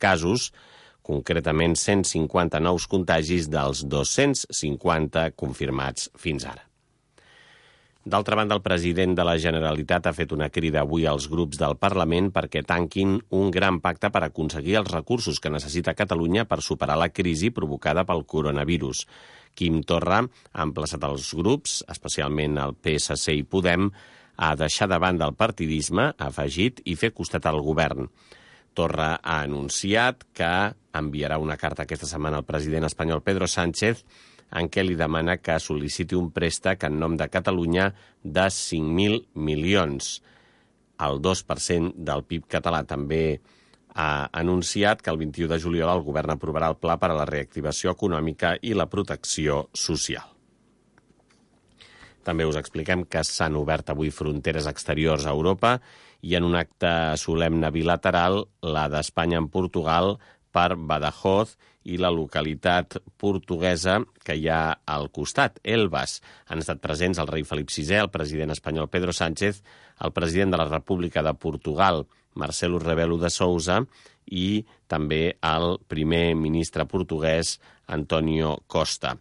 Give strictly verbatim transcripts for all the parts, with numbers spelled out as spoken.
casos, concretament cent cinquanta nous contagis dels dos-cents cinquanta confirmats fins ara. D'altra banda, el president de la Generalitat ha fet una crida avui als grups del Parlament perquè tanquin un gran pacte per aconseguir els recursos que necessita Catalunya per superar la crisi provocada pel coronavirus. Quim Torra ha emplaçat els grups, especialment el P S C i Podem, a deixar de banda el partidisme, ha afegit, i fer costat al govern. Torra ha anunciat que enviarà una carta aquesta setmana al president espanyol Pedro Sánchez en què li demana que sol·liciti un préstec en nom de Catalunya de cinc mil milions. El dos per cent del P I B català. També ha anunciat que el vint-i-u de juliol el govern aprovarà el pla per a la reactivació econòmica i la protecció social. També us expliquem que s'han obert avui fronteres exteriors a Europa i en un acte solemne bilateral, la d'Espanya amb Portugal, per Badajoz i la localitat portuguesa que hi ha al costat, Elvas. Han estat presents el rei Felip sisè, el president espanyol Pedro Sánchez, el president de la República de Portugal, Marcelo Rebelo de Sousa, i també el primer ministre portuguès, Antonio Costa.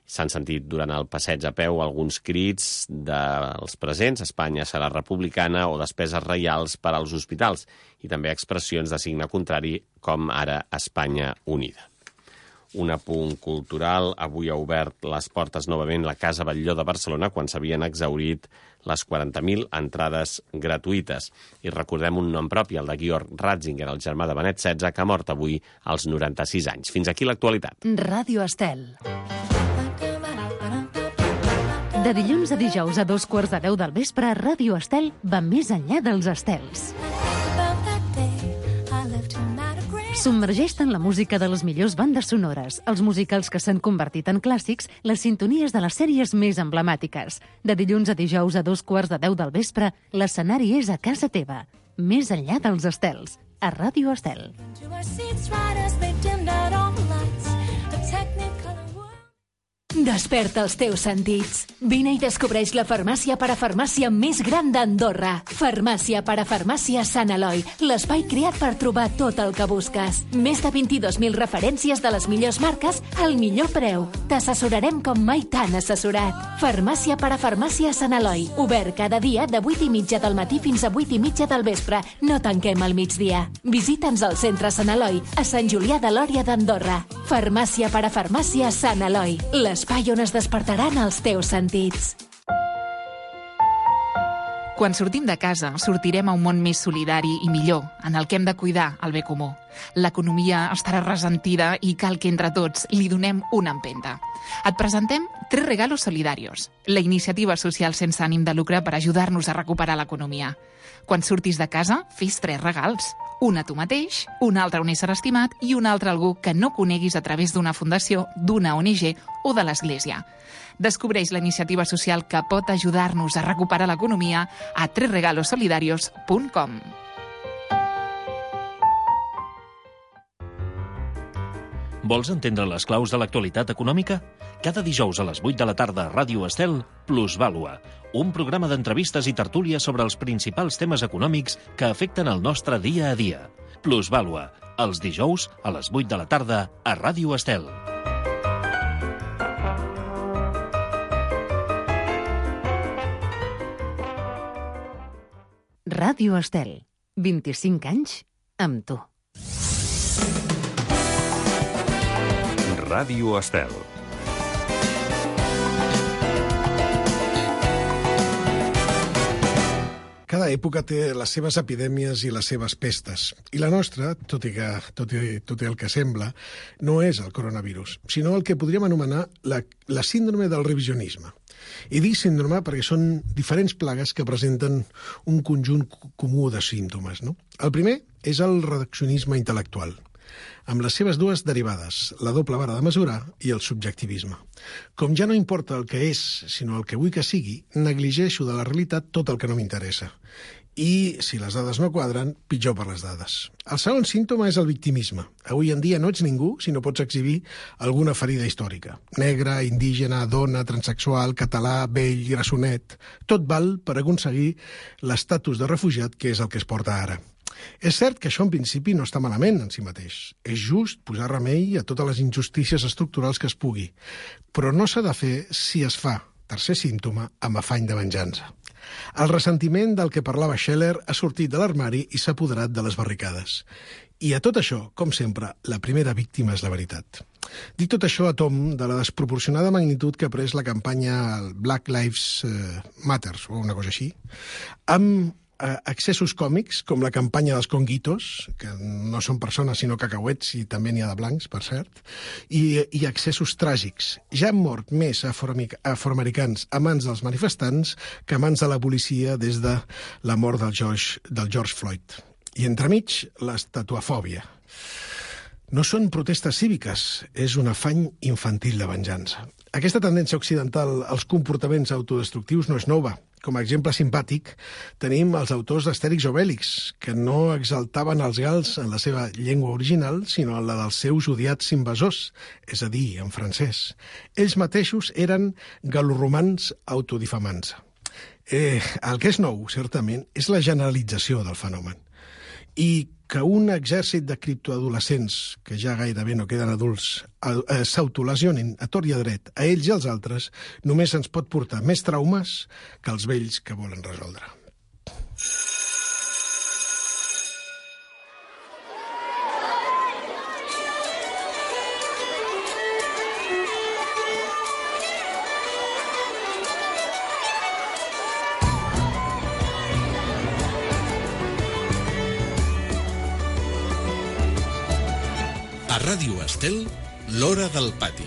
S'han sentit durant el passeig a peu alguns crits dels presents, Espanya serà republicana o despeses reials per als hospitals, i també expressions de signe contrari, com ara Espanya unida. Un apunt cultural, avui ha obert les portes novament la Casa Batlló de Barcelona quan s'havien exhaurit les quaranta mil entrades gratuïtes. I recordem un nom propi, el de Georg Ratzinger, el germà de Benet setze, que ha mort avui als noranta-sis anys. Fins aquí l'actualitat. Ràdio Estel. De dilluns a dijous a dos quarts de deu del vespre, Ràdio Estel va més enllà dels estels. Submergeix-te en la música de les millors bandes sonores, els musicals que s'han convertit en clàssics, les sintonies de les sèries més emblemàtiques. De dilluns a dijous a dos quarts de deu del vespre, l'escenari és a casa teva. Més enllà dels estels, a Ràdio Estel. Desperta els teus sentits. Vine i descobreix la farmàcia parafarmàcia més gran d'Andorra. Farmàcia parafarmàcia Sant Eloi, l'espai creat per trobar tot el que busques. Més de vint-i-dos mil referències de les millors marques al millor preu. T'assessorarem com mai t'han assessorat. Farmàcia parafarmàcia Sant Eloi, obert cada dia de vuit i mitja del matí fins a vuit i mitja del vespre. No tanquem al migdia. Visita'ns al centre Sant Eloi, a Sant Julià de Lòria d'Andorra. Farmàcia parafarmàcia Sant Eloi, l'espai on es despertaran els teus sentits. Quan sortim de casa, sortirem a un món més solidari i millor, en el que hem de cuidar el bé comú. L'economia estarà ressentida i cal que entre tots li donem una empenta. Et presentem Tres Regalos Solidarios, la iniciativa social sense ànim de lucre per ajudar-nos a recuperar l'economia. Quan surtis de casa, fes tres regals. Un a tu mateix, un altre a un ésser estimat i un altre a algú que no coneguis a través d'una fundació, d'una O N G o de l'Església. Descobreix la iniciativa social que pot ajudar-nos a recuperar l'economia a tres regalos solidarios punt com. Vols entendre les claus de l'actualitat econòmica? Cada dijous a les vuit de la tarda a Ràdio Estel, Plusvàlua, un programa d'entrevistes i tertúlies sobre els principals temes econòmics que afecten el nostre dia a dia. Plusvàlua, els dijous a les vuit de la tarda a Ràdio Estel. Ràdio Estel, vint-i-cinc anys amb tu. Ràdio Estel. Cada època té les seves epidèmies i les seves pestes. I la nostra, tot i, que, tot i, tot i el que sembla, no és el coronavirus, sinó el que podríem anomenar la, la síndrome del revisionisme. I dic síndrome perquè són diferents plagues que presenten un conjunt comú de símptomes, no? El primer és el reduccionisme intel·lectual, amb les seves dues derivades, la doble vara de mesurar i el subjectivisme. Com ja no importa el que és, sinó el que vull que sigui, negligeixo de la realitat tot el que no m'interessa. I, si les dades no quadren, pitjor per les dades. El segon símptoma és el victimisme. Avui en dia no ets ningú si no pots exhibir alguna ferida històrica. Negre, indígena, dona, transexual, català, vell, grassonet... Tot val per aconseguir l'estatus de refugiat, que és el que es porta ara. És cert que això en principi no està malament en si mateix. És just posar remei a totes les injustícies estructurals que es pugui, però no s'ha de fer si es fa, tercer símptoma, amb afany de venjança. El ressentiment del que parlava Scheller ha sortit de l'armari i s'ha apoderat de les barricades. I a tot això, com sempre, la primera víctima és la veritat. Dic tot això a tom de la desproporcionada magnitud que ha pres la campanya Black Lives Matter, o una cosa així, amb excessos còmics, com la campanya dels conguitos, que no són persones sinó cacauets, i també n'hi ha de blancs, per cert, i, i excessos tràgics. Ja han mort més afroamericans a mans dels manifestants que a mans de la policia des de la mort del George, del George Floyd. I entremig, l'estatuafòbia. No són protestes cíviques, és un afany infantil de venjança. Aquesta tendència occidental als comportaments autodestructius no és nova. Com a exemple simpàtic, tenim els autors d'Astèrix o Obèlix, que no exaltaven els gals en la seva llengua original, sinó en la dels seus odiats invasors, és a dir, en francès. Ells mateixos eren galoromans autodifamants. Eh, el que és nou, certament, és la generalització del fenomen. I que un exèrcit de criptoadolescents, que ja gairebé no queden adults, s'autolesionin a tort i a dret, a ells i als altres, només ens pot portar més traumes que els vells que volen resoldre. Ràdio Estel, l'Hora del Pati.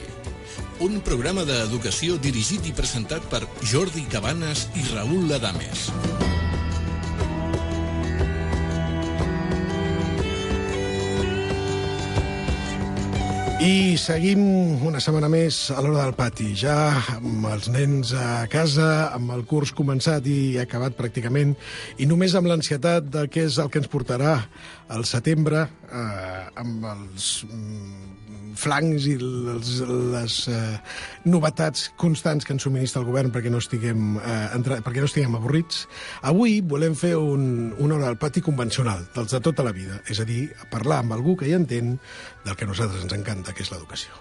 Un programa d'educació dirigit i presentat per Jordi Cabanes i Raül Ladames. I seguim una setmana més a l'Hora del Pati, ja amb els nens a casa, amb el curs començat i acabat pràcticament, i només amb l'ansietat de què és el que ens portarà al setembre, eh, amb els mm, flancs i les, les eh, novetats constants que ens subministra el govern perquè no estiguem, eh, entre, perquè no estiguem avorrits. Avui volem fer un, una Hora del Pati convencional, dels de tota la vida, és a dir, parlar amb algú que hi entén del que a nosaltres ens encanta, que és l'educació.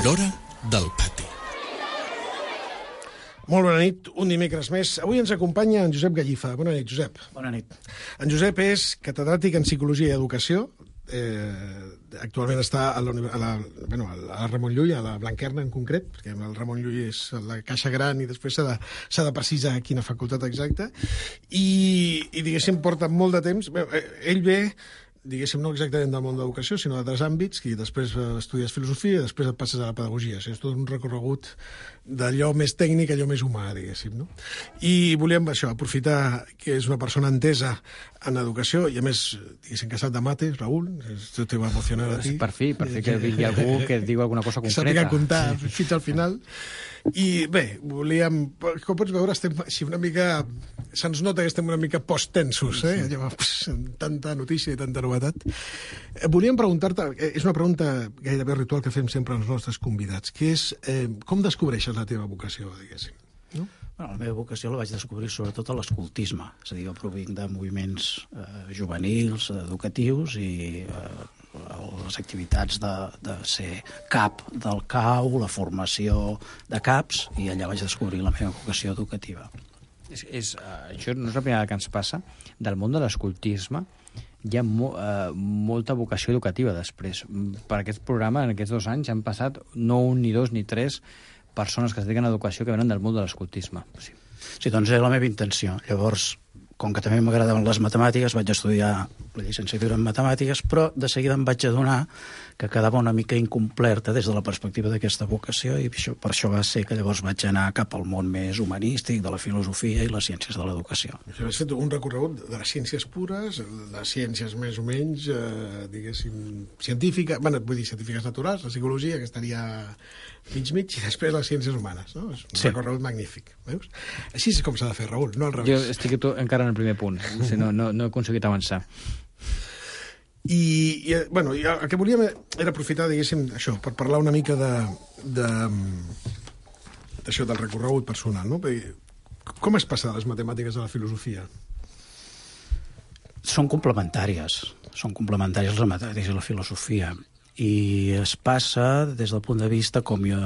L'Hora del Pati. Molt bona nit, un dimecres més. Avui ens acompanya en Josep Gallifa. Bona nit, Josep. Bona nit. En Josep és catedràtic en Psicologia i Educació. Eh, actualment està a la, a, la, bueno, a la Ramon Llull, a la Blanquerna en concret, perquè el Ramon Llull és la caixa gran i després s'ha de, s'ha de precisar quina facultat exacta. I, i diguéssim, porta molt de temps. Bé, ell ve, diguéssim, no exactament del món de l'educació, sinó d'altres àmbits, i després estudies filosofia i després et passes a la pedagogia. O sigui, és tot un recorregut d'allò més tècnic a allò més humà, diguéssim, no? I volíem, això, aprofitar que és una persona entesa en educació, i a més, diguéssim, casat de mates, Raül, això te va emocionar a ti. Per fi, per fi que vingui algú que et digui alguna cosa concreta. Que sàpiga comptar fins al final. I bé, volíem... Com pots veure, estem així una mica... Se'ns nota que estem una mica post-tensos, eh? Allò, pss, tanta notícia i tanta novetat. Volíem preguntar-te, és una pregunta gairebé ritual que fem sempre als nostres convidats, que és eh, com descobreixes la teva vocació, diguéssim? No? Bueno, la meva vocació la vaig descobrir sobretot a l'escoltisme, és a dir, jo provinc de moviments eh, juvenils, educatius i eh, les activitats de, de ser cap del C A U, la formació de caps, i allà vaig descobrir la meva vocació educativa. És, és, uh, això no és la primera que ens passa. Del món de l'escoltisme hi ha mo, uh, molta vocació educativa després. Per aquest programa, en aquests dos anys, han passat no un, ni dos, ni tres persones que es dediquen a l'educació que venen del món de l'escoltisme. Sí. Sí, doncs era la meva intenció. Llavors, com que també m'agradaven les matemàtiques, vaig estudiar la llicenciatura en matemàtiques, però de seguida em vaig adonar que quedava una mica incompleta des de la perspectiva d'aquesta vocació, i això, per això va ser que llavors vaig anar cap al món més humanístic, de la filosofia i les ciències de l'educació. Has fet un recorregut de les ciències pures, les ciències més o menys, eh, diguéssim, científiques, bueno, vull dir científiques naturals, la psicologia, que estaria mig mig, i després les ciències humanes, no? És un sí. recorregut magnífic, veus? Així és com s'ha de fer, Raül, no al revés. Jo estic encara en el primer punt, o sigui, no, no, no he aconseguit avançar. I, i, bueno, i el que volíem era aprofitar, diguéssim, això, per parlar una mica de, de, d'això, del recorregut personal, no? Perquè, com es passa de les matemàtiques a la filosofia? Són complementàries, són complementàries les matemàtiques i la filosofia. I es passa des del punt de vista, com jo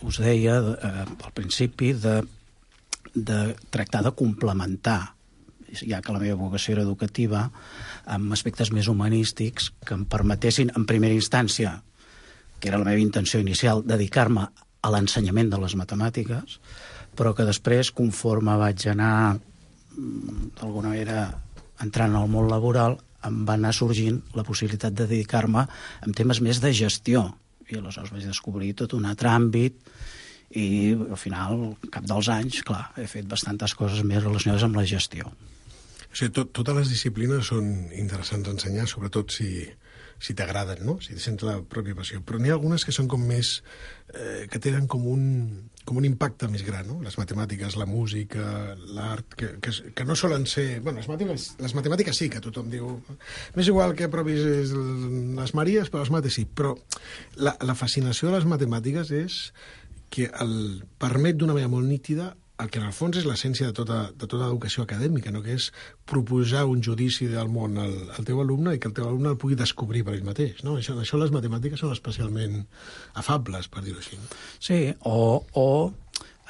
us deia eh, al principi, de, de tractar de complementar, ja que la meva vocació era educativa, amb aspectes més humanístics que em permetessin, en primera instància, que era la meva intenció inicial, dedicar-me a l'ensenyament de les matemàtiques, però que després, conforme vaig anar, d'alguna manera, entrant al món laboral, em va anar sorgint la possibilitat de dedicar-me a temes més de gestió. I aleshores vaig descobrir tot un altre àmbit i, al final, al cap dels anys, clar, he fet bastantes coses més relacionades amb la gestió. O sigui, tot, totes les disciplines són interessants d'ensenyar, sobretot si, si t'agraden, no? Si sents la pròpia passió. Però n'hi ha algunes que són com més... Eh, que tenen com un, com un impacte més gran, no? Les matemàtiques, la música, l'art, que, que, que no solen ser... Bueno, les matemàtiques, les matemàtiques sí, que tothom diu... M'és igual que aprovis les Maries, però les mates sí. Però la, la fascinació de les matemàtiques és que el permet d'una manera molt nítida el que en el fons és l'essència de tota, de tota educació acadèmica, no? Que és proposar un judici del món al, al teu alumne i que el teu alumne el pugui descobrir per ell mateix. No? Això, això les matemàtiques són especialment afables, per dir-ho així. Sí, o, o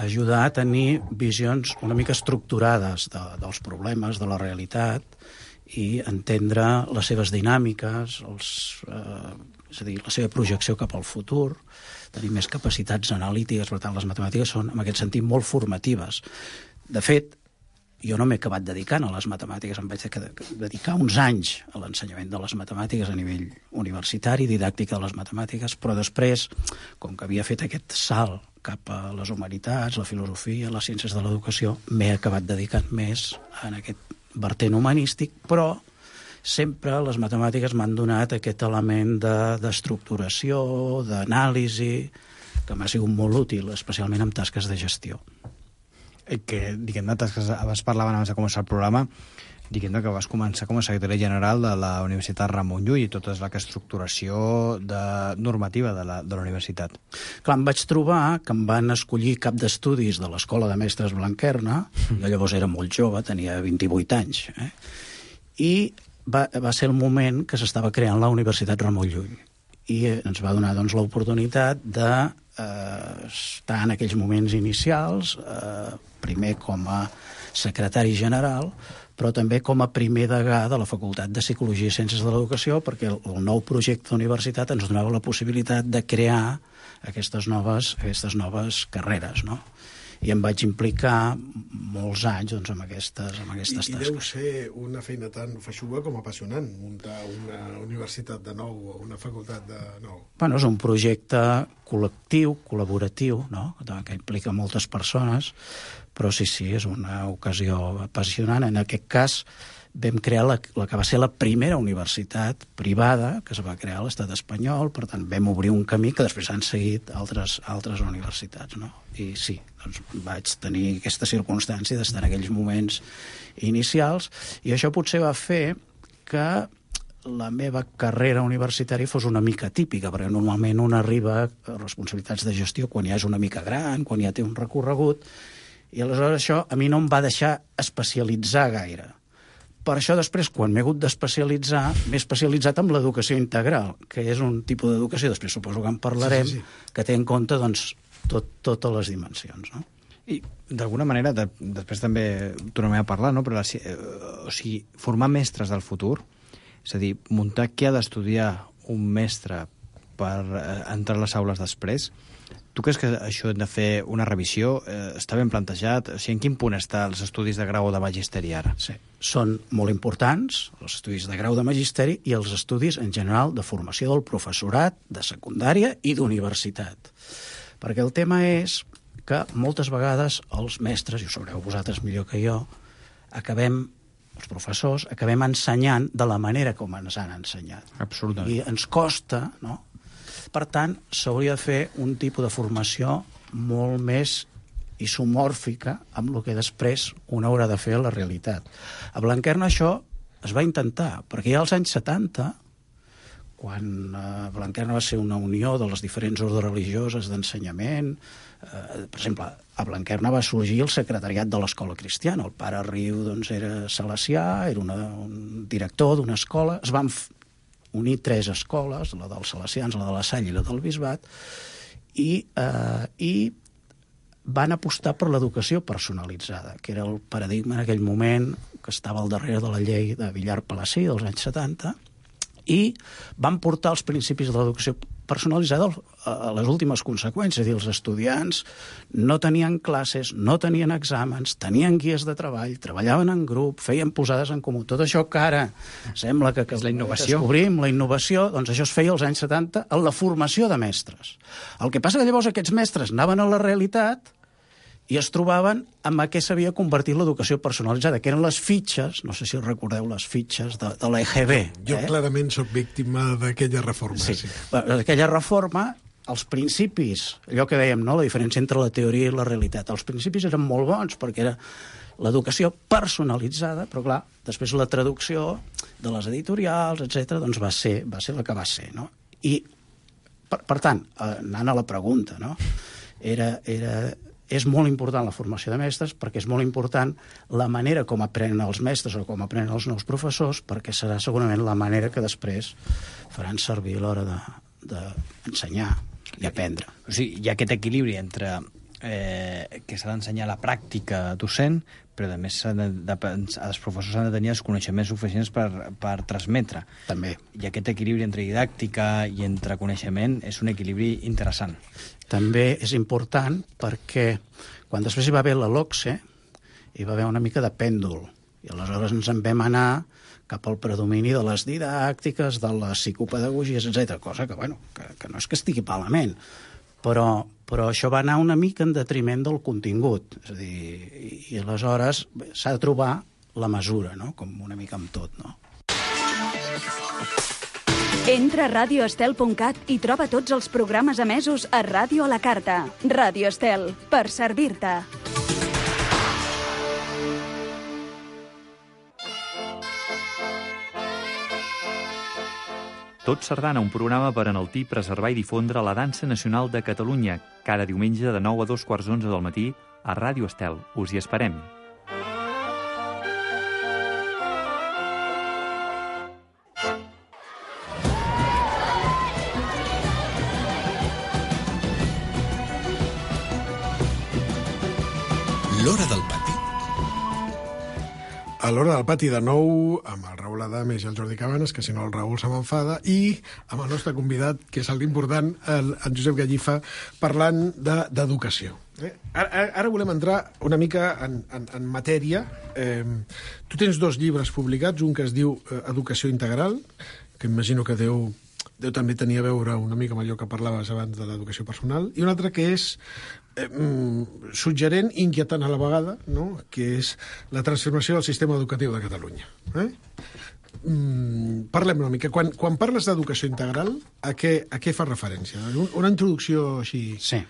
ajudar a tenir visions una mica estructurades de, dels problemes, de la realitat, i entendre les seves dinàmiques, els, eh, és a dir, la seva projecció cap al futur, tenir més capacitats analítiques. Per tant, les matemàtiques són, en aquest sentit, molt formatives. De fet, jo no m'he acabat dedicant a les matemàtiques, em vaig dedicar uns anys a l'ensenyament de les matemàtiques a nivell universitari, didàctica de les matemàtiques, però després, com que havia fet aquest salt cap a les humanitats, la filosofia, les ciències de l'educació, m'he acabat dedicant més en aquest vertent humanístic, però sempre les matemàtiques m'han donat aquest element de, d'estructuració, d'anàlisi, que m'ha sigut molt útil, especialment en tasques de gestió. Que, diguem-ne, tasques, abans parlaven abans de començar el programa, diguem-ne que vas començar com a secretari general de la Universitat Ramon Llull i tota la estructuració de, normativa de la, de la universitat. Clar, em vaig trobar que em van escollir cap d'estudis de l'Escola de Mestres Blanquerna, jo llavors era molt jove, tenia vint-i-vuit anys, eh? I Va, va ser el moment que s'estava creant la Universitat Ramon Llull i ens va donar doncs, l'oportunitat de eh, estar en aquells moments inicials, eh, primer com a secretari general, però també com a primer degà de la Facultat de Psicologia i Ciències de l'Educació, perquè el, el nou projecte d'universitat ens donava la possibilitat de crear aquestes noves, aquestes noves carreres, no? I em vaig implicar molts anys doncs, amb aquestes, amb aquestes I, tasques. I deu ser una feina tan feixuga com apassionant, muntar una universitat de nou o una facultat de nou. Bueno, és un projecte col·lectiu, col·laboratiu, no? Que implica moltes persones, però sí, sí, és una ocasió apassionant. En aquest cas vam crear la, la que va ser la primera universitat privada que es va crear a l'estat espanyol, per tant vam obrir un camí que després han seguit altres, altres universitats, no? I sí, doncs vaig tenir aquesta circumstància d'estar en aquells moments inicials, i això potser va fer que la meva carrera universitària fos una mica típica, perquè normalment un arriba a responsabilitats de gestió quan ja és una mica gran, quan ja té un recorregut, i aleshores això a mi no em va deixar especialitzar gaire. Per això després, quan m'he hagut d'especialitzar, m'he especialitzat en l'educació integral, que és un tipus d'educació, després suposo que en parlarem, sí, sí, sí. Que té en compte doncs, tot, totes les dimensions, no? I d'alguna manera, de, després també tornem a parlar, no? Però la, eh, o sigui, formar mestres del futur, és a dir, muntar què ha d'estudiar un mestre per eh, entrar a les aules després. Tu creus que això hem de fer una revisió? Eh, està ben plantejat? O sigui, en quin punt està els estudis de grau o de magisteri ara? Sí, són molt importants, els estudis de grau de magisteri i els estudis en general de formació del professorat, de secundària i d'universitat. Perquè el tema és que moltes vegades els mestres, i ho sabreu vosaltres millor que jo, acabem, els professors, acabem ensenyant de la manera com ens han ensenyat. Absolutament. I ens costa, no? Per tant, s'hauria de fer un tipus de formació molt més isomòrfica amb el que després un haurà de fer a la realitat. A Blanquerna això es va intentar, perquè ja als anys setanta quan eh, Blanquerna va ser una unió de les diferents ordres religioses d'ensenyament. Eh, per exemple, a Blanquerna va sorgir el secretariat de l'escola cristiana. El pare Riu doncs, era salesià, era una, un director d'una escola. Es van unir tres escoles, la dels salesians, la de la Salle i la del Bisbat, i, eh, i van apostar per l'educació personalitzada, que era el paradigma en aquell moment que estava al darrere de la llei de Villar-Palasí dels anys setanta, i van portar els principis de l'educació personalitzada a les últimes conseqüències. És a dir, els estudiants no tenien classes, no tenien exàmens, tenien guies de treball, treballaven en grup, feien posades en comú. Tot això que ara sembla que, que és la innovació. descobrim, la innovació, doncs això es feia als anys setanta en la formació de mestres. El que passa que llavors aquests mestres anaven a la realitat i es trobaven amb què s'havia convertit l'educació personalitzada, que eren les fitxes, no sé si recordeu les fitxes de, de l'E G B. Jo eh? clarament sóc víctima d'aquella reforma. Sí, sí. Aquella reforma, els principis, allò que dèiem, no? La diferència entre la teoria i la realitat, els principis eren molt bons perquè era l'educació personalitzada, però clar, després la traducció de les editorials, etcètera, doncs va ser, va ser la que va ser, no? I, per, per tant, anant a la pregunta, no? Era... era és molt important la formació de mestres perquè és molt important la manera com aprenen els mestres o com aprenen els nous professors, perquè serà segurament la manera que després faran servir a l'hora d'ensenyar de, i aprendre. O sigui, hi ha aquest equilibri entre eh, que s'ha d'ensenyar la pràctica docent, però a més de, de, els professors han de tenir els coneixements suficients per, per transmetre. També. I aquest equilibri entre didàctica i entre coneixement és un equilibri interessant. També és important perquè quan després hi va haver la LOCSE hi va haver una mica de pèndol i aleshores ens en vam anar cap al predomini de les didàctiques, de les psicopedagogies, etcètera, cosa que, bueno, que, que no és que estigui malament, però, però això va anar una mica en detriment del contingut. És a dir, i, i aleshores s'ha de trobar la mesura, no? Com una mica amb tot, no? Entra a radio estel punt cat i troba tots els programes emesos a Ràdio a la Carta. Ràdio Estel, per servir-te. Tot Sardana, un programa per enaltir, preservar i difondre la dansa nacional de Catalunya, cada diumenge de nou a dos quarts d'onze del matí a Ràdio Estel. Us hi esperem. L'Hora del Pati. A l'Hora del Pati de nou, amb el Raül Adames i el Jordi Cabanes, que si no el Raül se m'enfada, i amb el nostre convidat, que és l'important, el, el Josep Gallifa, parlant d'educació. De, eh? Ara, ara volem entrar una mica en, en, en matèria. Eh, tu tens dos llibres publicats, un que es diu eh, Educació Integral, que imagino que deu, deu també tenir a veure una mica amb allò que parlaves abans de l'educació personal, i un altre que és Eh, suggerent i inquietant a la vegada, no? Que és la transformació del sistema educatiu de Catalunya. Eh? Mm, parlem una mica. Quan, quan parles d'educació integral, a què, a què fa referència? Una introducció així... Sí.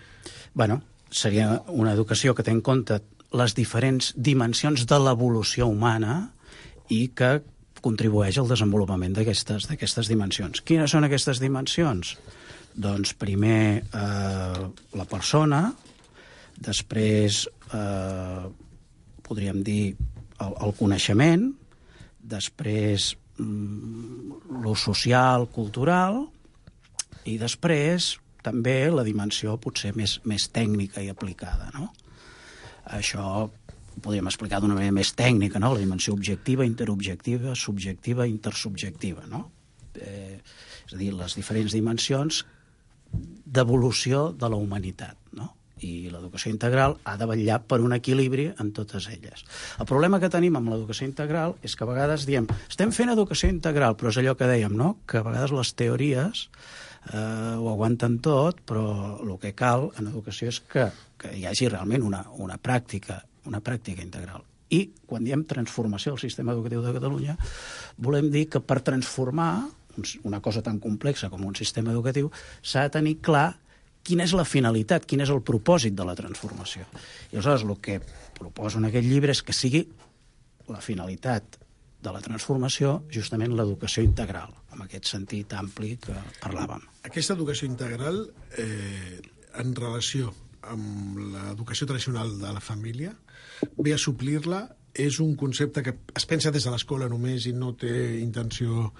Bueno, seria una educació que té en compte les diferents dimensions de l'evolució humana i que contribueix al desenvolupament d'aquestes d'aquestes dimensions. Quines són aquestes dimensions? Doncs primer eh, la persona, després eh, podríem dir el, el coneixement, després mm, lo social, cultural, i després també la dimensió potser més, més tècnica i aplicada, no? Això ho podríem explicar d'una manera més tècnica, no? La dimensió objectiva, interobjectiva, subjectiva, intersubjectiva, no? Eh, és a dir, les diferents dimensions d'evolució de la humanitat, no? I l'educació integral ha de vetllar per un equilibri en totes elles. El problema que tenim amb l'educació integral és que a vegades diem estem fent educació integral, però és allò que dèiem, no? Que a vegades les teories eh, ho aguanten tot, però el que cal en educació és que, que hi hagi realment una, una pràctica, una pràctica integral. I quan diem transformació del sistema educatiu de Catalunya, volem dir que per transformar una cosa tan complexa com un sistema educatiu s'ha de tenir clar quina és la finalitat, quin és el propòsit de la transformació. I aleshores el que proposo en aquest llibre és que sigui la finalitat de la transformació justament l'educació integral, en aquest sentit ampli que parlàvem. Aquesta educació integral, eh, en relació amb l'educació tradicional de la família, ve a suplir-la, és un concepte que es pensa des de l'escola només i no té intenció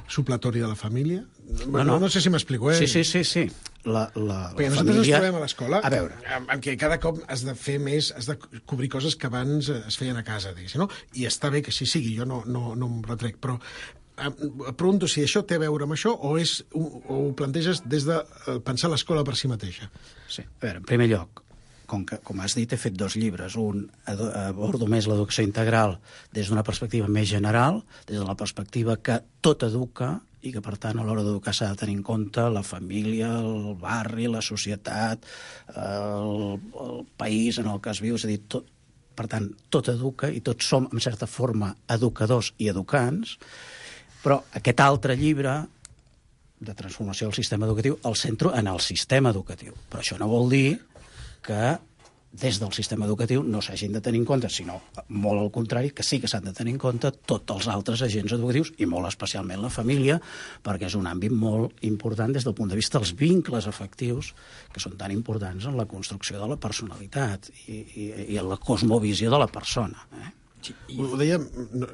supletòria de la família? No, no, no sé si m'explico, eh? Sí, sí, sí, sí. La, la, Perquè la nosaltres família... ens trobem a l'escola a veure. amb, amb què cada cop has de fer més, has de cobrir coses que abans es feien a casa, diguéssim, no? I està bé que així sigui, jo no, no, no em retrec, però em pregunto si això té a veure amb això o, és, o ho planteges des de pensar l'escola per si mateixa. Sí, a veure, en primer lloc, com, que, com has dit, he fet dos llibres. Un abordo més l'educació integral des d'una perspectiva més general, des de la perspectiva que tot educa i que, per tant, a l'hora d'educar s'ha de tenir en compte la família, el barri, la societat, el, el país en el que es viu, és a dir, tot, per tant, tot educa i tots som, en certa forma, educadors i educants, però aquest altre llibre de transformació del sistema educatiu el centro en el sistema educatiu. Però això no vol dir que des del sistema educatiu no s'hagin de tenir en compte, sinó molt al contrari, que sí que s'han de tenir en compte tots els altres agents educatius i molt especialment la família, perquè és un àmbit molt important des del punt de vista dels vincles afectius que són tan importants en la construcció de la personalitat i, i, i en la cosmovisió de la persona. Eh? Sí, ho dèiem, no,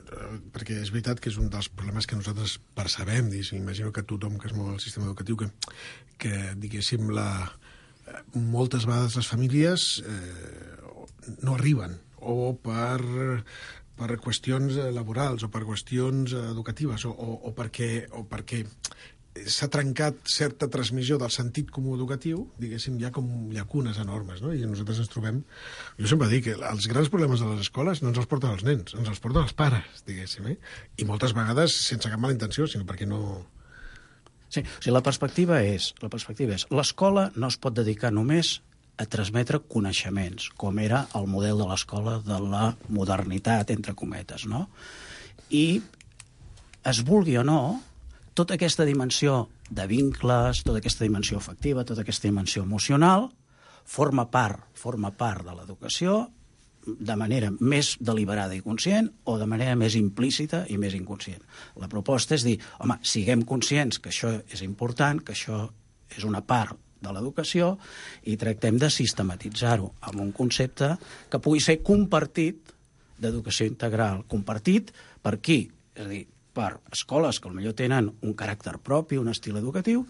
perquè és veritat que és un dels problemes que nosaltres percebem, imagino que tothom que es mou al sistema educatiu, que, que diguéssim, la, moltes vegades les famílies eh, no arriben, o per, per qüestions laborals, o per qüestions educatives, o, o, o perquè, o perquè s'ha trencat certa transmissió del sentit comú educatiu, diguéssim, hi ha com llacunes enormes, no? I nosaltres ens trobem... Jo sempre dic que els grans problemes de les escoles no ens els porten els nens, ens els porten els pares, diguéssim, eh? I moltes vegades sense cap mala intenció, sinó perquè no... Sí, o sigui, la perspectiva és, la perspectiva és, l'escola no es pot dedicar només a transmetre coneixements, com era el model de l'escola de la modernitat, entre cometes, no? I es vulgui o no, tota aquesta dimensió de vincles, tota aquesta dimensió afectiva, tota aquesta dimensió emocional, forma part, forma part de l'educació de manera més deliberada i conscient o de manera més implícita i més inconscient. La proposta és dir, home, siguem conscients que això és important, que això és una part de l'educació i tractem de sistematitzar-ho amb un concepte que pugui ser compartit d'educació integral. Compartit per qui? És a dir, per escoles que potser tenen un caràcter propi, un estil educatiu,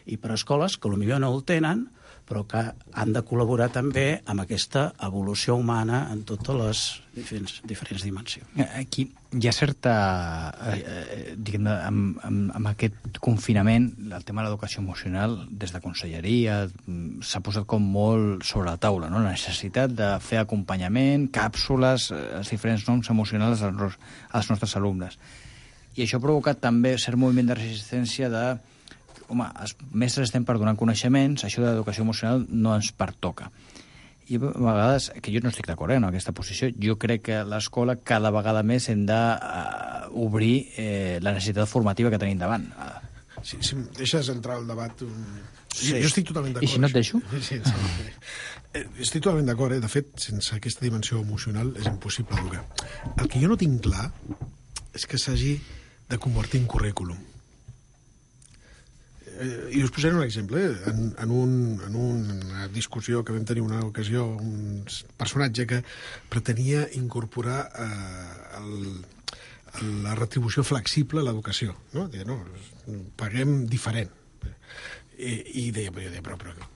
i per escoles que potser no el tenen, però que han de col·laborar també amb aquesta evolució humana en totes les diferents, diferents dimensions. Aquí hi ha certa... Eh, diguem, amb, amb, amb aquest confinament, el tema de l'educació emocional, des de conselleria, s'ha posat com molt sobre la taula, no? La necessitat de fer acompanyament, càpsules, els diferents noms emocionals als, als nostres alumnes. I això ha provocat també cert moviment de resistència de... Home, els mestres estem per donar coneixements, això de l'educació emocional no ens pertoca. I a vegades, que jo no estic d'acord eh, en aquesta posició, jo crec que l'escola cada vegada més hem d'obrir uh, eh, la necessitat formativa que tenim davant. Si, si em deixes entrar al debat... Un... Sí. Jo, jo estic totalment d'acord. I si no et deixo? Sí, sí, sí. Estic totalment d'acord, eh? De fet, sense aquesta dimensió emocional és impossible educar. El que jo no tinc clar és que s'hagi de convertir en currículum. I us posaré un exemple. En, en, un, en una discussió que vam tenir una ocasió, un personatge que pretenia incorporar eh, el, la retribució flexible a l'educació. No? Deia, no, paguem diferent. I, i deia, però, però, però,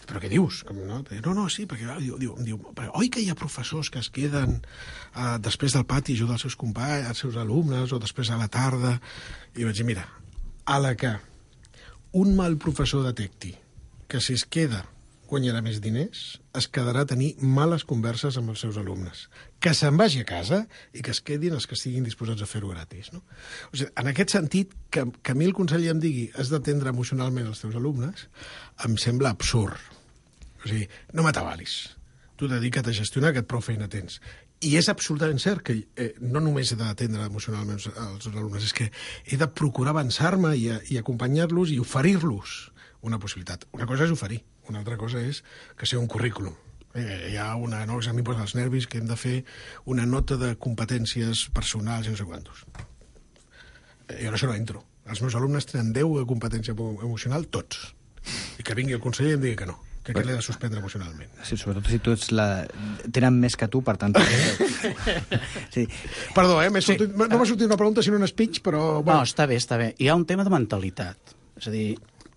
però què dius? No, deia, no, no, sí, perquè diu, diu, diu, però, oi que hi ha professors que es queden eh, després del pati a ajudar els seus companys, els seus alumnes, o després a la tarda? I vaig dir, mira, a la que un mal professor detecti que si es queda guanyarà més diners, es quedarà a tenir males converses amb els seus alumnes. Que se'n vagi a casa i que es quedin els que estiguin disposats a fer-ho gratis. No? O sigui, en aquest sentit, que, que a mi el conseller em digui has d'atendre emocionalment els teus alumnes, em sembla absurd. O sigui, no m'atabalis. Tu dedica't a gestionar, que et prou feina tens. I és absolutament cert que eh, no només he d'atendre emocionalment els alumnes, és que he de procurar avançar-me i, i acompanyar-los i oferir-los una possibilitat. Una cosa és oferir, una altra cosa és que sigui un currículum. Eh, hi ha una, no, a mi posa els nervis que hem de fer una nota de competències personals i no sé quantos. jo en això no entro. Els meus alumnes tenen deu de competència emocional, tots. I que vingui el conseller i em digui que no, que aquest l'he de suspendre emocionalment. Sí, sobretot si tu ets la... tenen més que tu, per tant... sí. Perdó, eh? Sí. Sortit... no m'ha sortit una pregunta, sinó un speech, però... Bueno. No, està bé, està bé. Hi ha un tema de mentalitat. És a dir,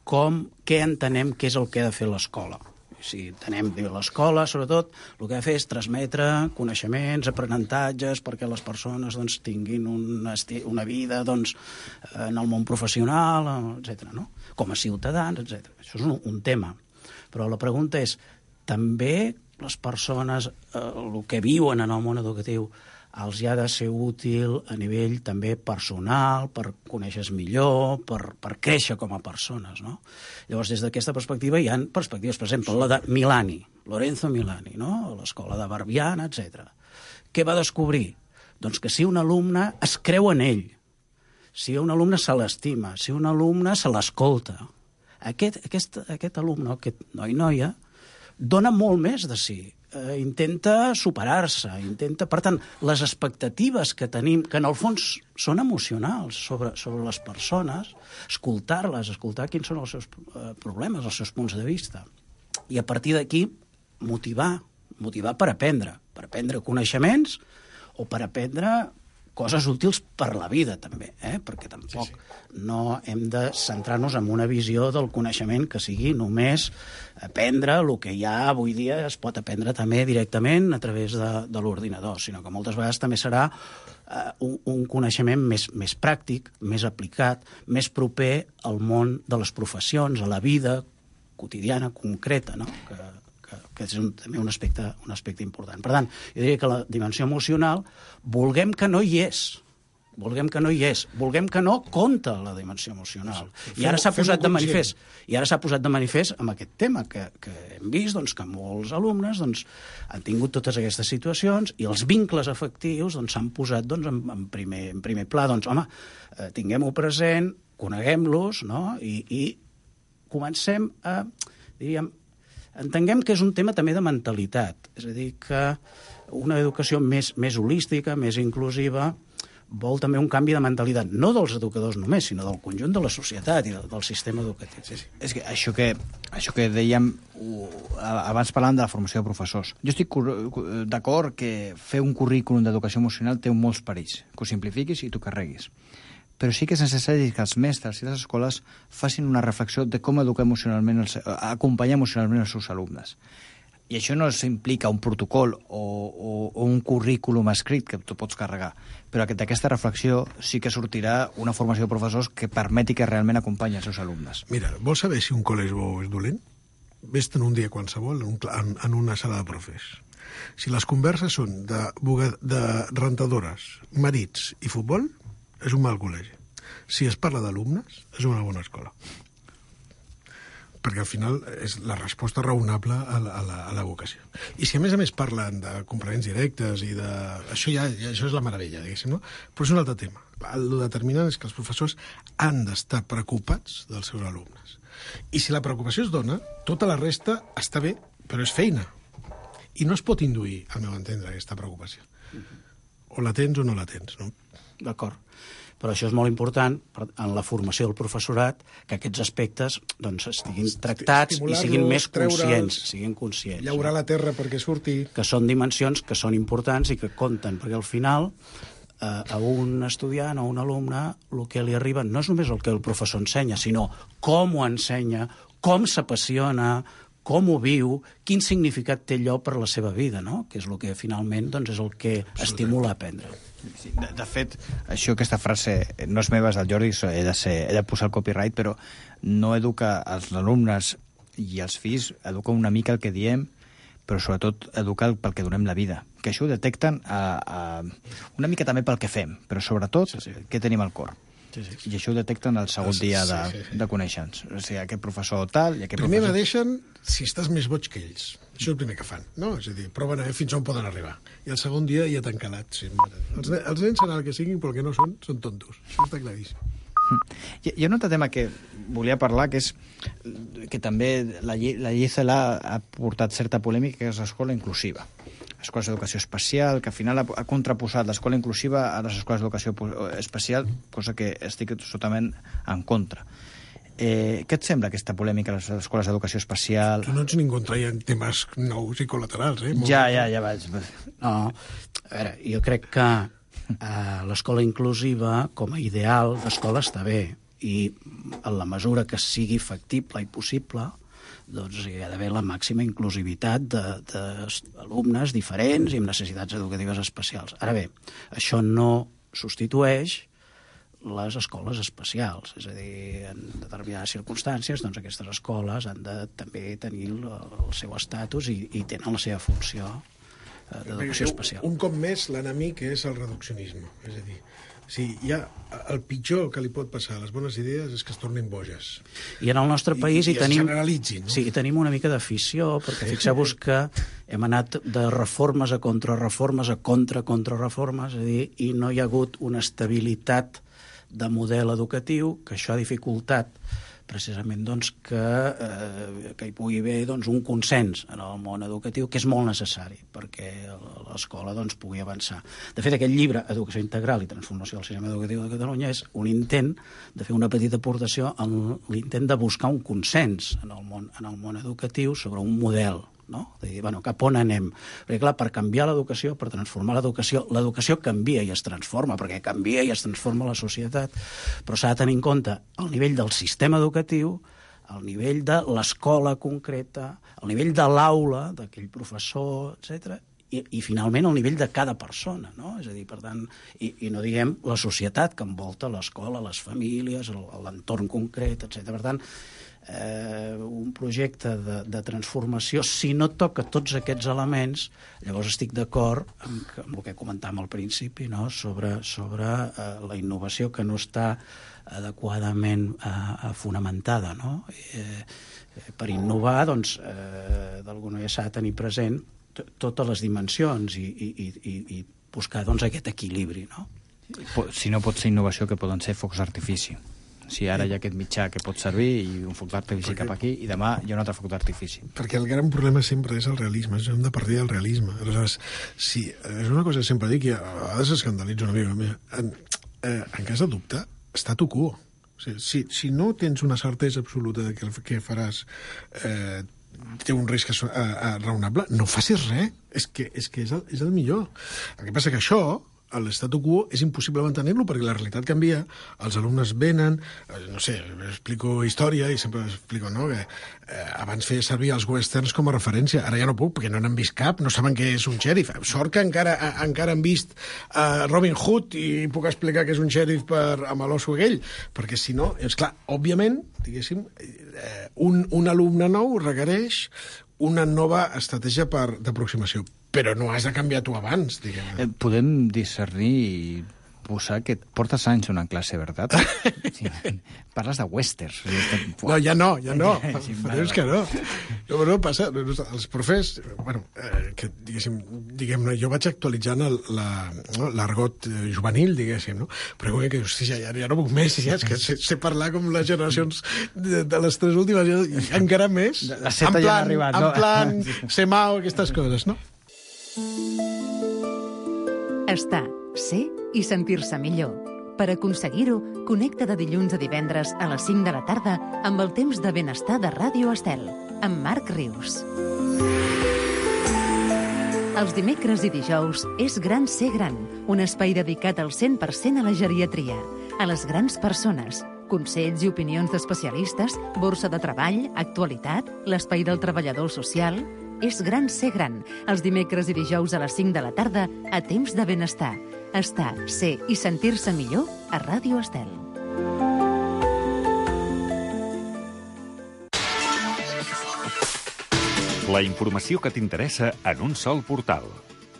com, què entenem que és el que ha de fer l'escola. Si entenem que l'escola, sobretot, el que ha de fer és transmetre coneixements, aprenentatges, perquè les persones doncs, tinguin una, una vida doncs, en el món professional, etcètera. No? Com a ciutadans, etcètera. Això és un, un tema. Però la pregunta és, també les persones, eh, el que viuen en el món educatiu, els hi ha de ser útil a nivell també personal, per conèixer millor, per, per créixer com a persones, no? Llavors, des d'aquesta perspectiva hi ha perspectives, per exemple, la de Milani, Lorenzo Milani, no? L'escola de Barbiana, etcètera. Què va descobrir? Doncs que si un alumne es creu en ell, si un alumne se l'estima, si un alumne se l'escolta, aquest, aquest, aquest alumne, aquest noi noia, dona molt més de si. Eh, intenta superar-se, intenta... Per tant, les expectatives que tenim, que en el fons són emocionals sobre, sobre les persones, escoltar-les, escoltar quins són els seus eh, problemes, els seus punts de vista. I a partir d'aquí, motivar, motivar per aprendre, per aprendre coneixements o per aprendre coses útils per la vida, també, eh? Perquè tampoc sí, sí. no hem de centrar-nos en una visió del coneixement que sigui només aprendre el que ja avui dia es pot aprendre també directament a través de, de l'ordinador, sinó que moltes vegades també serà eh, un, un coneixement més, més pràctic, més aplicat, més proper al món de les professions, a la vida quotidiana, concreta, no? que, que, que és un, també un aspecte, un aspecte important. Per tant, jo diria que la dimensió emocional, vulguem que no hi és, vulguem que no hi és, vulguem que no compta la dimensió emocional. I ara s'ha posat de manifest, i ara s'ha posat de manifest amb aquest tema que, que hem vist doncs, que molts alumnes doncs, han tingut totes aquestes situacions i els vincles afectius doncs, s'han posat doncs, en, en, primer, en primer pla. Doncs, home, eh, tinguem-ho present, coneguem-los, no? I, i comencem a, diríem, entenguem que és un tema també de mentalitat, és a dir, que una educació més, més holística, més inclusiva, vol també un canvi de mentalitat, no dels educadors només, sinó del conjunt de la societat i del, del sistema educatiu. Sí, sí. És que això que, això que dèiem, abans parlàvem de la formació de professors. Jo estic d'acord que fer un currículum d'educació emocional té molts perills, que ho simplifiquis i t'ho carreguis. Però sí que és necessari que els mestres i les escoles facin una reflexió de com educar emocionalment, els, acompanyar emocionalment els seus alumnes. I això no s'implica un protocol o, o, o un currículum escrit que tu pots carregar, però d'aquesta reflexió sí que sortirà una formació de professors que permeti que realment acompanyi els seus alumnes. Mira, vols saber si un col·le és bo o és dolent? Ves-te'n un dia qualsevol en, un, en, en una sala de profes. Si les converses són de, de rentadores, marits i futbol, és un mal col·legi. Si es parla d'alumnes, és una bona escola. Perquè al final és la resposta raonable a la, a la, a la vocació. I si a més a més parlen de complements directes i de... Això ja, ja això és la meravella, diguéssim, no? Però és un altre tema. El determinant és que els professors han d'estar preocupats dels seus alumnes. I si la preocupació es dona, tota la resta està bé, però és feina. I no es pot induir, al meu entendre, aquesta preocupació. O la tens o no la tens, no? D'acord. Però això és molt important en la formació del professorat, que aquests aspectes doncs, estiguin tractats i siguin més conscients. Siguin conscients. Llaurar la terra perquè surti... Que són dimensions que són importants i que compten, perquè al final eh, a un estudiant o a un alumne el que li arriba no és només el que el professor ensenya, sinó com ho ensenya, com s'apassiona, com ho viu, quin significat té allò per la seva vida, no? Que és el que finalment doncs, és el que estimula a aprendre. Sí, de, de fet, això, aquesta frase no és meva, és del Jordi, he de, ser, he de posar el copyright, però no educa els alumnes i els fills, educa una mica el que diem, però sobretot educa pel que donem la vida. Que això ho detecten a, a, una mica també pel que fem, però sobretot sí, sí. què tenim al cor. Sí, sí. I això ho detecten el segon sí, dia de, sí, sí. de conèixer-nos. O sigui, aquest professor tal... I aquest primer professor... m'adeixen si estàs més boig que ells. Això és el primer que fan, no? És a dir, proven a veure fins on poden arribar. I el segon dia ja t'han calat. Sí, els, els nens seran el que siguin, però el que no són, són tontos. Això està claríssim. Hi ha un altre tema que volia parlar, que és que també la llei, la llei C E L A ha portat certa polèmica, que és l'escola inclusiva. escoles d'educació especial, que al final ha, ha contraposat l'escola inclusiva a les escoles d'educació especial, cosa que estic totalment en contra. Eh, què et sembla aquesta polèmica a les escoles d'educació especial? Tu no ets ningú contra temes nous i col·laterals, eh? Ja, ja, ja vaig. No, a veure, jo crec que eh, l'escola inclusiva, com a ideal d'escola, està bé, i en la mesura que sigui factible i possible, doncs hi ha d'haver la màxima inclusivitat d'alumnes diferents i amb necessitats educatives especials. Ara bé, això no substitueix les escoles especials, és a dir, en determinades circumstàncies, doncs aquestes escoles han de també tenir el, el seu estatus i, i tenen la seva funció eh, d'educació especial. Un cop més, l'enemic és el reduccionisme, és a dir, sí, hi ha el pitjor que li pot passar a les bones idees és que es tornin boges. I en el nostre país I, i hi tenim, generalitzin, no? Sí, hi tenim una mica d'afició, perquè fixeu-vos que hem anat de reformes a contrarreformes a contra-contrarreformes, és a dir, i no hi ha hagut una estabilitat de model educatiu, que això ha dificultat precisament doncs, que, eh, que hi pugui haver doncs, un consens en el món educatiu, que és molt necessari perquè l'escola doncs, pugui avançar. De fet, aquest llibre, Educació Integral i Transformació del Sistema Educatiu de Catalunya, és un intent de fer una petita aportació en l'intent de buscar un consens en el món, en el món educatiu sobre un model, no? De dir, bueno, cap on anem? Perquè, clar, per canviar l'educació, per transformar l'educació, l'educació canvia i es transforma, perquè canvia i es transforma la societat, però s'ha de tenir en compte el nivell del sistema educatiu, el nivell de l'escola concreta, el nivell de l'aula, d'aquell professor, etcètera, i, i finalment el nivell de cada persona, no? És a dir, per tant, i, i no diguem la societat que envolta l'escola, les famílies, l'entorn concret, etcètera. Per tant, Eh, un projecte de, de transformació, si no toca tots aquests elements, llavors estic d'acord amb, amb el que comentàvem al principi, no? sobre, sobre eh, la innovació que no està adequadament eh, fonamentada. No? Eh, per innovar, doncs, eh, d'alguna manera s'ha de tenir present totes les dimensions i, i, i, i buscar doncs, aquest equilibri. No? Si no pot ser innovació, que poden ser focs d'artifici. Si ara hi ha aquest mitjà que pot servir i un foc d'artifici cap aquí i demà hi ha un altre foc d'artifici. Perquè el gran problema sempre és el realisme, és hem de partir del realisme. Aleshores, sí, és una cosa que sempre dic i a vegades escandalitzo una mica. En, eh, en cas de dubte, statu quo. O sigui, si, si no tens una certesa absoluta de que el que faràs eh, té un risc uh, uh, raonable, no facis res. És que és, que és, el, és el millor. El que passa que això, l'estatu quo, és impossible mantenir-lo perquè la realitat canvia, els alumnes venen, no sé, explico història i sempre explico, no?, que eh, abans feia servir els westerns com a referència, ara ja no puc perquè no n'han vist cap, no saben què és un xèrif. Sort que encara, encara han vist uh, Robin Hood i puc explicar que és un xèrif per, amb l'osso aquell, perquè si no, és clar, òbviament, diguéssim, eh, un, un alumne nou requereix una nova estratègia per d'aproximació, però no has de canviar tu abans, diguem. Eh, podem discernir i posar que portes anys donant classe, veritat? Sí, parles de westerns. No, ja no, ja no. Sí, però és que no. No, no passa. Els profes, bueno, eh, que diguéssim, diguem-ne, jo vaig actualitzant l'argot la, no, juvenil, diguéssim, no? Però com que, hosti, ja, ja no puc més, ja, és que sé, sé parlar com les generacions de, de les tres últimes, i encara més. La seta ja ha arribat, no? En plan, semao, aquestes coses, no? Estar, ser i sentir-se millor. Per aconseguir-ho, connecta de dilluns a divendres a les cinc de la tarda amb el temps de benestar de Ràdio Estel, amb Marc Rius. Els dimecres i dijous és Gran Ser Gran, un espai dedicat al cent per cent a la geriatria, a les grans persones, consells i opinions d'especialistes, borsa de treball, actualitat, l'espai del treballador social. És Gran Ser Gran, els dimecres i dijous a les cinc de la tarda a Temps de Benestar. Estar, ser i sentir-se millor a Ràdio Estel. La informació que t'interessa en un sol portal.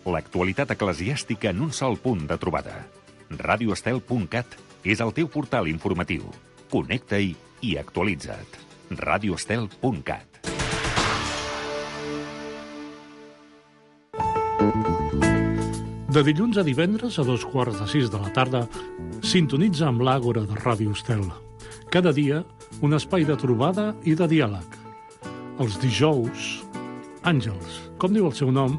L'actualitat eclesiàstica en un sol punt de trobada. radio estel punt cat és el teu portal informatiu. Connecta-hi i actualitza't. radio estel punt cat. De dilluns a divendres a dos quarts de sis de la tarda, sintonitza amb l'Àgora de Ràdio Estel. Cada dia, un espai de trobada i de diàleg. Els dijous, Àngels, com diu el seu nom,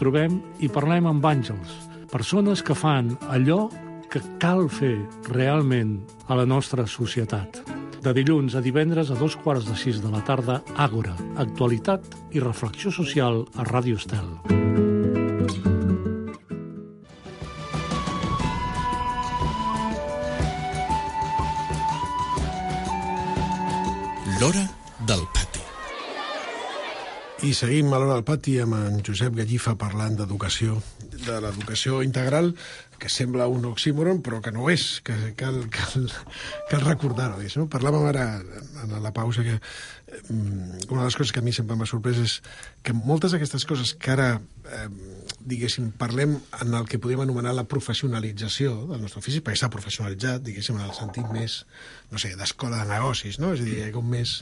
trobem i parlem amb àngels, persones que fan allò que cal fer realment a la nostra societat. De dilluns a divendres a dos quarts de sis de la tarda, Àgora, actualitat i reflexió social a Ràdio Estel. L'Hora del Pati. I seguim a l'Hora del Pati amb en Josep Gallifa parlant d'educació, de l'educació integral, que sembla un oxímoron, però que no ho és, que cal, cal, cal recordar-ho. No? Parlàvem ara, en la pausa, que una de les coses que a mi sempre m'ha sorprès és que moltes d'aquestes coses que ara, eh, diguéssim, parlem en el que podríem anomenar la professionalització del nostre ofici, perquè s'ha professionalitzat, diguéssim, en el sentit més, no sé, d'escola de negocis, no? És a dir, hi ha com més,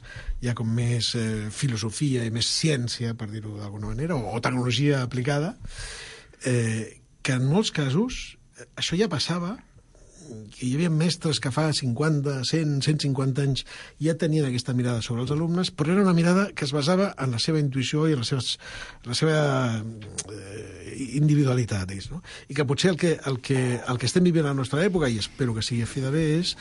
hi ha com més eh, filosofia i més ciència, per dir-ho d'alguna manera, o, o tecnologia aplicada, eh, que en molts casos això ja passava, que hi havia mestres que fa cinquanta, cent, cent cinquanta anys ja tenien aquesta mirada sobre els alumnes, però era una mirada que es basava en la seva intuïció i en la seva, la seva eh, individualitat. No? I que potser el que, el, que, el que estem vivint a la nostra època, i espero que sigui a fi de bé, és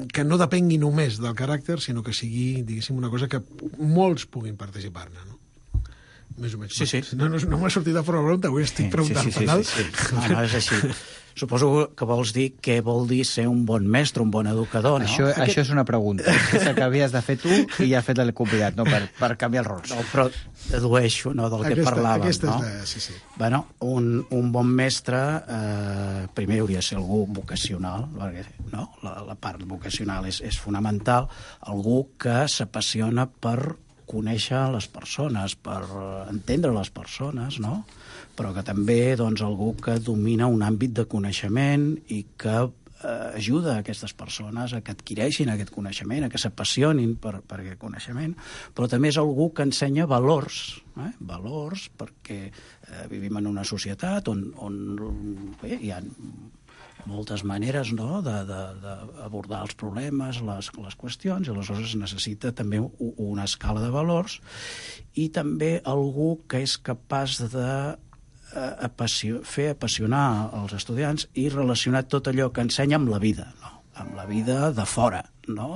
que no depengui només del caràcter, sinó que sigui, diguéssim, una cosa que molts puguin participar-ne, no? Més o menys. Sí, sí. No, no, no m'ha sortit de forma pregunta, avui estic preguntant sí, sí, sí, sí, sí. No, no, és així. Suposo que vols dir què vol dir ser un bon mestre, un bon educador, no? Això, Aquest... això és una pregunta. És el que havies de fer tu i ja ha fet el convidat, no? Per, per canviar els rols. No, però dedueixo, no?, del que aquesta, parlàvem, aquesta no? És la... sí, sí. Bueno, un, un bon mestre eh, primer hauria de ser algú vocacional, perquè no? la, la part vocacional és, és fonamental, algú que s'apassiona per conèixer les persones, per entendre les persones, no? Però que també, doncs, algú que domina un àmbit de coneixement i que eh, ajuda a aquestes persones a que adquireixin aquest coneixement, a que s'apassionin per, per aquest coneixement, però també és algú que ensenya valors, eh? valors, perquè eh, vivim en una societat on, on bé, hi ha moltes maneres, no?, d'abordar els problemes, les, les qüestions, i aleshores es necessita també una escala de valors i també algú que és capaç de eh, apassió, fer apassionar els estudiants i relacionar tot allò que ensenya amb la vida, no?, amb la vida de fora, no?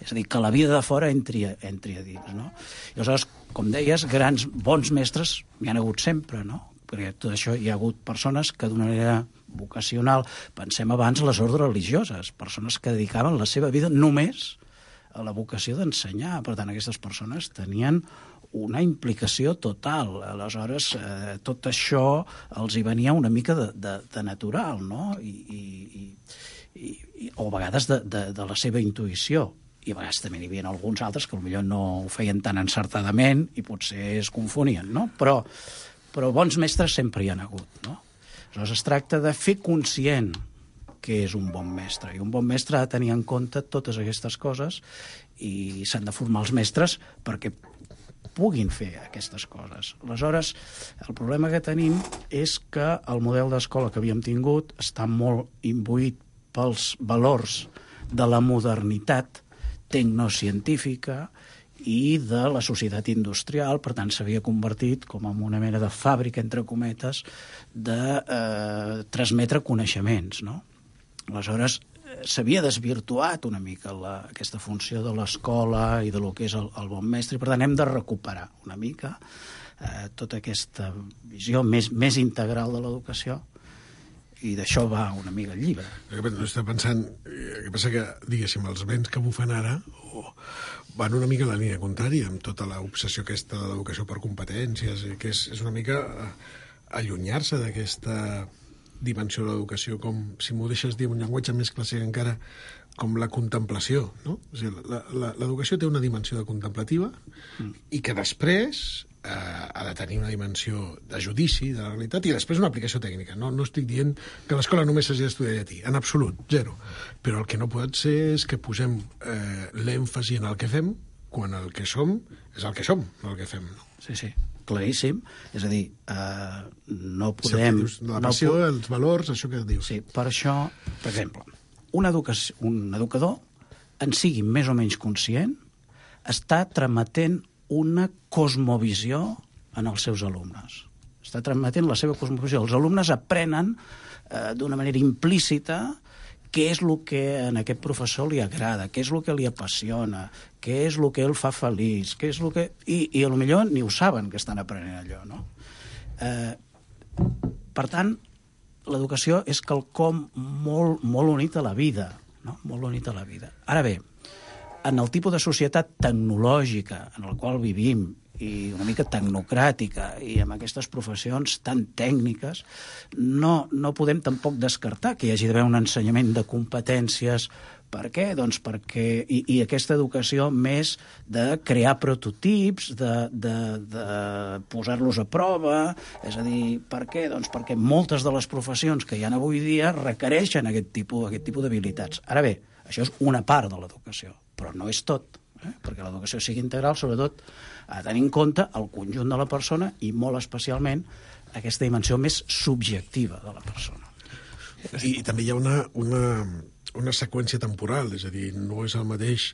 És a dir, que la vida de fora entri, entri a dins, no? I aleshores, com deies, grans, bons mestres hi han hagut sempre, no?, perquè tot això hi ha hagut persones que d'una manera vocacional, pensem abans les ordres religioses, persones que dedicaven la seva vida només a la vocació d'ensenyar. Per tant, aquestes persones tenien una implicació total. Aleshores, eh, tot això els hi venia una mica de, de, de natural, no? I, i, i, i, o a vegades de, de, de la seva intuïció. I a vegades també n'hi havia alguns altres que potser no ho feien tan encertadament i potser es confonien, no? Però però bons mestres sempre hi han hagut, no? Aleshores es tracta de fer conscient què és un bon mestre, i un bon mestre ha de tenir en compte totes aquestes coses i s'han de formar els mestres perquè puguin fer aquestes coses. Aleshores, el problema que tenim és que el model d'escola que havíem tingut està molt imbuït pels valors de la modernitat tecnocientífica i de la societat industrial, per tant s'havia convertit com en una mena de fàbrica, entre cometes, de eh, transmetre coneixements, no? Aleshores, s'havia desvirtuat una mica la, aquesta funció de l'escola i de lo que és el, el bon mestre, i per tant hem de recuperar una mica eh, tota aquesta visió més, més integral de l'educació, i d'això va una mica el llibre. Estic pensant, el que passa que, diguéssim, els vents que bufen ara oh, van una mica en la línia contrària, amb tota l'obsessió aquesta de l'educació per competències, que és, és una mica allunyar-se d'aquesta dimensió de l'educació, com, si m'ho deixes dir un llenguatge més clàssic encara, com la contemplació, no? O sigui, l'educació té una dimensió de contemplativa mm. i que després eh, ha de tenir una dimensió de judici de la realitat i després una aplicació tècnica. No, no estic dient que a l'escola només s'hagi d'estudiar llatí, en absolut, zero. Però el que no pot ser és que posem eh, l'èmfasi en el que fem quan el que som és el que som, no el que fem. No? Sí, sí, claríssim. És a dir, eh, no podem... Sí, dius, la passió, no po... els valors, això que dius. Sí, per això, per exemple, un, educació, un educador, en sigui més o menys conscient, està trametent una cosmovisió en els seus alumnes. està transmetent la seva cosmovisió. Els alumnes aprenen eh, d'una manera implícita què és el que en aquest professor li agrada, què és el que li apassiona, què és el que el fa feliç, què és el que... I, i a lo millor ni ho saben que estan aprenent allò, no? Eh, per tant, l'educació és quelcom molt, molt unit a la vida, no? Molt unit a la vida. Ara bé, en el tipus de societat tecnològica en el qual vivim, i una mica tecnocràtica, i amb aquestes professions tan tècniques, no, no podem tampoc descartar que hi hagi d'haver un ensenyament de competències. Per què? Doncs perquè... I, i aquesta educació més de crear prototips, de, de, de posar-los a prova, és a dir, per què? Doncs perquè moltes de les professions que hi ha avui dia requereixen aquest tipus, aquest tipus d'habilitats. Ara bé, això és una part de l'educació, però no és tot, eh? Perquè l'educació sigui integral, sobretot, a tenir en compte el conjunt de la persona i molt especialment aquesta dimensió més subjectiva de la persona. I, i també hi ha una, una, una seqüència temporal, és a dir, no és el mateix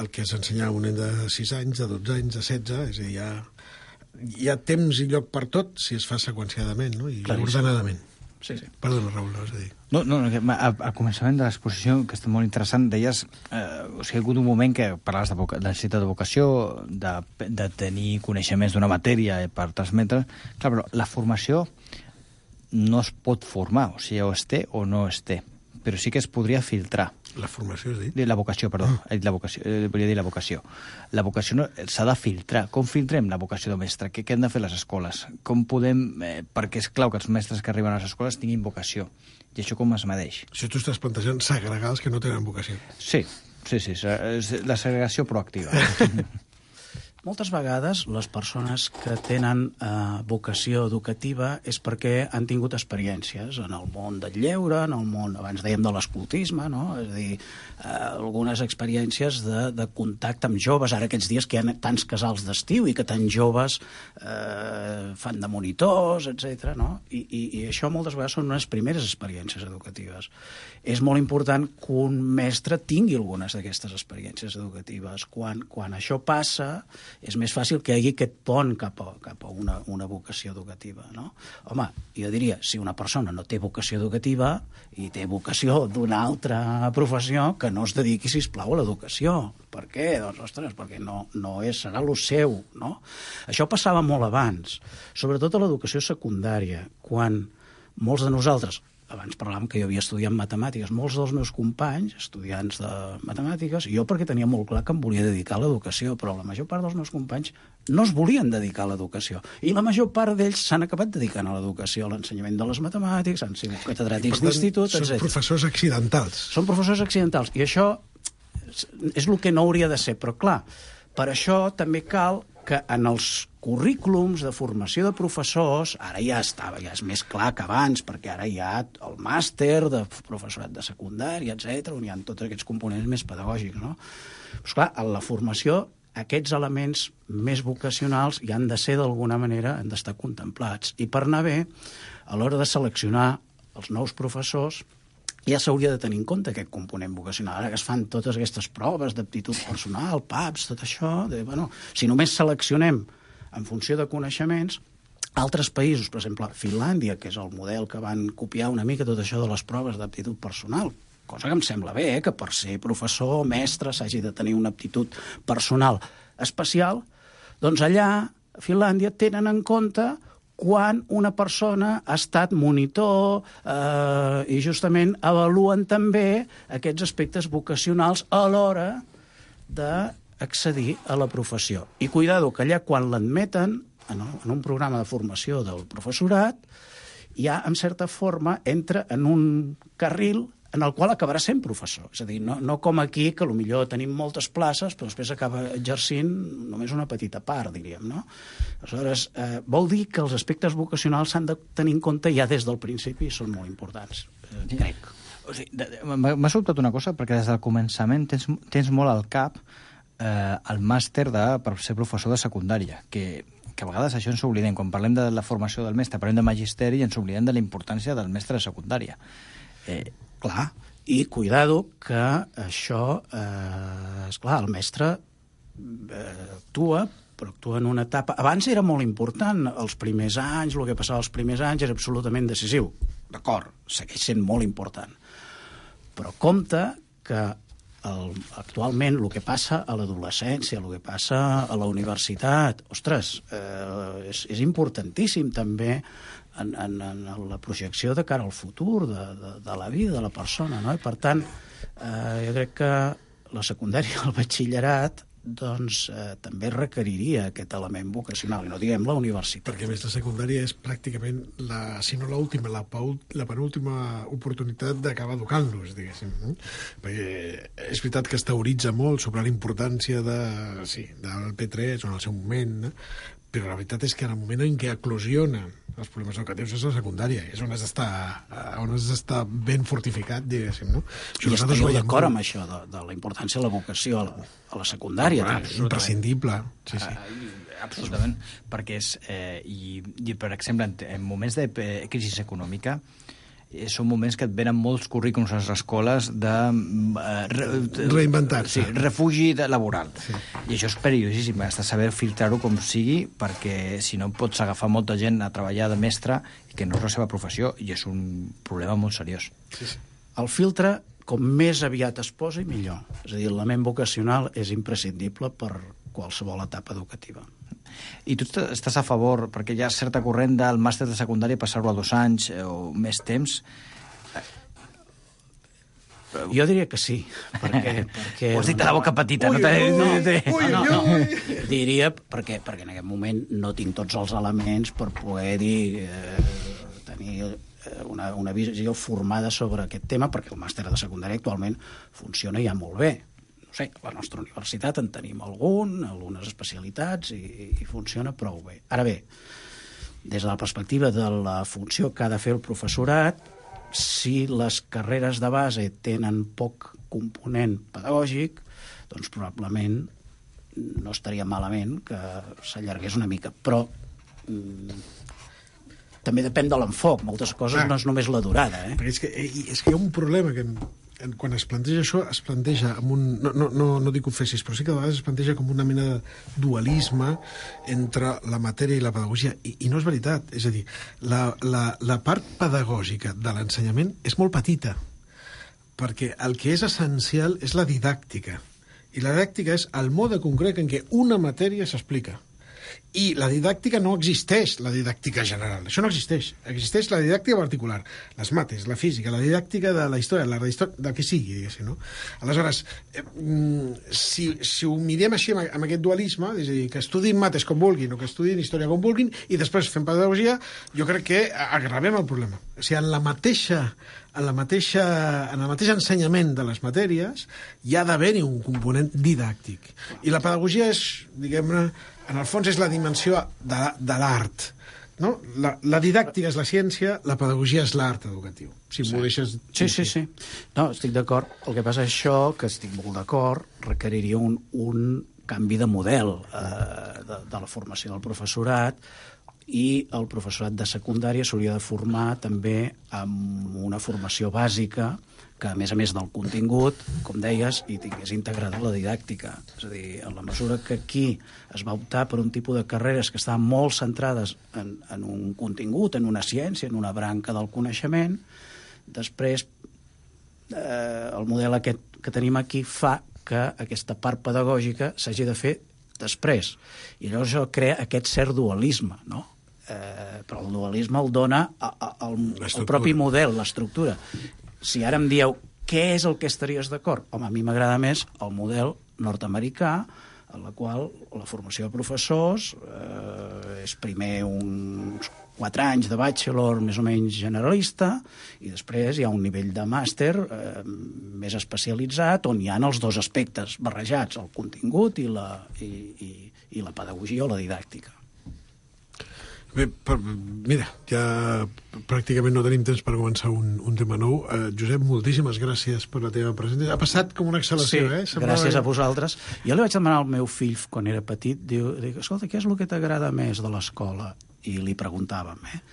el que s'ensenya a un nen de sis anys, de dotze anys, de setze, és a dir, hi ha, hi ha temps i lloc per tot si es fa seqüenciadament, no? I Claríssim. Ordenadament. Sí, sí. Perdona, Raül, vas a dir. No, no, al, al començament de l'exposició, que està molt interessant, deies, eh, o sigui, ha hagut un moment que parlaves de, voca, de necessitat de vocació, de, de tenir coneixements d'una matèria per transmetre. Clar, però la formació no es pot formar, o sigui, o es té o no es té, però sí que es podria filtrar. La formació, has dit? La vocació, perdó. Ah. La vocació, eh, volia dir la vocació. La vocació no, s'ha de filtrar. Com filtrem la vocació de mestre? Què, què han de fer les escoles? Com podem... Eh, perquè és clau que els mestres que arriben a les escoles tinguin vocació. I això com es medeix? Si tu estàs plantejant segregar els que no tenen vocació. Sí, sí, sí. La segregació proactiva. Moltes vegades les persones que tenen eh, vocació educativa és perquè han tingut experiències en el món del lleure, en el món, abans dèiem, de l'escoltisme, no? És a dir, eh, algunes experiències de, de contacte amb joves, ara aquests dies que hi ha tants casals d'estiu i que tants joves eh, fan de monitors, etcètera, no? I, i, I això moltes vegades són unes primeres experiències educatives. És molt important que un mestre tingui algunes d'aquestes experiències educatives. Quan, quan això passa, és més fàcil que hi hagi aquest pont cap a, cap a una, una vocació educativa, no? Home, jo diria, si una persona no té vocació educativa i té vocació d'una altra professió, que no es dediqui, sisplau, a l'educació. Per què? Doncs, ostres, perquè no, no és, serà lo seu, no? Això passava molt abans, sobretot a l'educació secundària, quan molts de nosaltres... Abans parlàvem que jo havia estudiat matemàtiques. Molts dels meus companys, estudiants de matemàtiques, jo perquè tenia molt clar que em volia dedicar a l'educació, però la major part dels meus companys no es volien dedicar a l'educació. I la major part d'ells s'han acabat dedicant a l'educació, a l'ensenyament de les matemàtiques, han sigut catedràtics d'institut, etcètera. Són professors accidentals. Són professors accidentals. I això és el que no hauria de ser. Però, clar, per això també cal que en els currículums de formació de professors, ara ja estava, ja és més clar que abans, perquè ara hi ha el màster de professorat de secundària, etcètera, on hi ha tots aquests components més pedagògics, no? Però, clar, en la formació, aquests elements més vocacionals hi han de ser, d'alguna manera, han d'estar contemplats. I per anar bé, a l'hora de seleccionar els nous professors, ja s'hauria de tenir en compte aquest component vocacional. Ara que es fan totes aquestes proves d'aptitud personal, P A Ps, tot això, de, bueno, si només seleccionem en funció de coneixements, altres països, per exemple, Finlàndia, que és el model que van copiar una mica tot això de les proves d'aptitud personal, cosa que em sembla bé, eh, que per ser professor o mestre s'hagi de tenir una aptitud personal especial, doncs allà, a Finlàndia, tenen en compte quan una persona ha estat monitor eh, i justament avaluen també aquests aspectes vocacionals a l'hora d'accedir a la professió. I cuidado, que allà quan l'admeten en, en un programa de formació del professorat, ja en certa forma entra en un carril en el qual acabarà sent professor. És a dir, no, no com aquí, que potser tenim moltes places, però després acaba exercint només una petita part, diríem, no? Aleshores, eh, vol dir que els aspectes vocacionals s'han de tenir en compte ja des del principi i són molt importants, eh, crec. O sigui, m'ha sobtat una cosa, perquè des del començament tens, tens molt al cap eh, el màster de, per ser professor de secundària, que que a vegades això ens oblidem. Quan parlem de la formació del mestre, parlem de magisteri i ens oblidem de la importància del mestre de secundària. Eh, clar, i cuidado que això, eh, esclar, el mestre eh, actua però actua en una etapa... Abans era molt important, els primers anys, el que passava els primers anys era absolutament decisiu. D'acord, segueix sent molt important. Però compte que el, actualment el que passa a l'adolescència, el que passa a la universitat, ostres, eh, és, és importantíssim també en, en, en la projecció de cara al futur de, de, de la vida de la persona, no? I per tant, eh, jo crec que la secundària, el batxillerat, doncs eh, també requeriria aquest element vocacional, i no diguem la universitat. Perquè, a més, la secundària és pràcticament, la, si no l'última, la, la penúltima oportunitat d'acabar educant-los, diguéssim. No? Perquè és veritat que es teoritza molt sobre la importància de, sí, del P tres o en el seu moment, no? Però la veritat és que en el moment en què eclosiona els problemes educatius és la secundària, és on has d'estar on has d'estar ben fortificat, diguéssim, no? I esteu d'acord amb això, de, de la importància de la vocació a la, a la secundària. Ah, és imprescindible. Sí, sí. Uh, absolutament, perquè és, eh, i, i, per exemple, en, en moments de crisi econòmica, eh, són moments que et venen molts currículums a les escoles de... Eh, re, reinventar-se. Sí, refugi de, laboral. Sí. I això és perillosíssim, has de saber filtrar-ho com sigui, perquè si no pots agafar molta gent a treballar de mestre que no és la seva professió, i és un problema molt seriós. Sí, sí. El filtre, com més aviat es posi, millor. És a dir, l'element vocacional és imprescindible per qualsevol etapa educativa. I tu estàs a favor, perquè hi ha certa corrent del màster de secundària passar-ho a dos anys o més temps? Jo diria que sí. Perquè, perquè... Ho has dit a la boca petita. Ui, no ui, no, ui, no, no, no. Diria perquè, perquè en aquest moment no tinc tots els elements per poder dir, eh, tenir una, una visió formada sobre aquest tema, perquè el màster de secundària actualment funciona ja molt bé. No sé, a la nostra universitat en tenim algun, algunes especialitats, i, i funciona prou bé. Ara bé, des de la perspectiva de la funció que ha de fer el professorat, si les carreres de base tenen poc component pedagògic, doncs probablement no estaria malament que s'allargués una mica, però mm, també depèn de l'enfoc. Moltes coses ah, no és només la durada. Eh? És, que, és que hi ha un problema que quan es planteja això, es planteja amb un... No, no, no, no dic que ho fessis, però sí que a vegades es planteja com una mena de dualisme entre la matèria i la pedagogia, i, i no és veritat. És a dir, la, la, la part pedagògica de l'ensenyament és molt petita, perquè el que és essencial és la didàctica, i la didàctica és el mode concret en què una matèria s'explica. I la didàctica no existeix, la didàctica general. Això no existeix. Existeix la didàctica particular, les mates, la física, la didàctica de la història, la història del que sigui, diguéssim, no? Aleshores, eh, si, si ho mirem així amb, amb aquest dualisme, és a dir, que estudin mates com vulguin o que estudin història com vulguin i després fem pedagogia, jo crec que agravem el problema. O sigui, en la mateixa en, la mateixa, en el mateix ensenyament de les matèries hi ha d'haver-hi un component didàctic. I la pedagogia és, diguem-ne, en el fons és la dimensió de, de l'art. No? La, la didàctica és la ciència, la pedagogia és l'art educatiu. Si sí. m'ho deixes... Sí, sí, sí. No, estic d'acord. El que passa és això, que estic molt d'acord, requeriria un, un canvi de model eh, de, de la formació del professorat, i el professorat de secundària s'hauria de formar també amb una formació bàsica que, a més a més del contingut, com deies, hi tingués integrada la didàctica. És a dir, en la mesura que aquí es va optar per un tipus de carreres que estaven molt centrades en, en un contingut, en una ciència, en una branca del coneixement, després eh, el model aquest que tenim aquí fa que aquesta part pedagògica s'hagi de fer després. I llavors això crea aquest cert dualisme, no? Eh, però el dualisme el dona a, a, el, el propi model, l'estructura. Si ara em dieu què és el que estaries d'acord, home, a mi m'agrada més el model nord-americà, en la qual la formació de professors eh, és primer uns quatre anys de bachelor més o menys generalista, i després hi ha un nivell de màster eh, més especialitzat, on hi ha els dos aspectes barrejats, el contingut i la, i, i, i la pedagogia o la didàctica. Bé, per, mira, ja pràcticament no tenim temps per començar un, un tema nou. Uh, Josep, moltíssimes gràcies per la teva presència. Ha passat com una exhalació, sí, eh? Semblava... gràcies a vosaltres. Jo li vaig demanar al meu fill, quan era petit, diu, dic, escolta, què és el que t'agrada més de l'escola? I li preguntàvem, eh?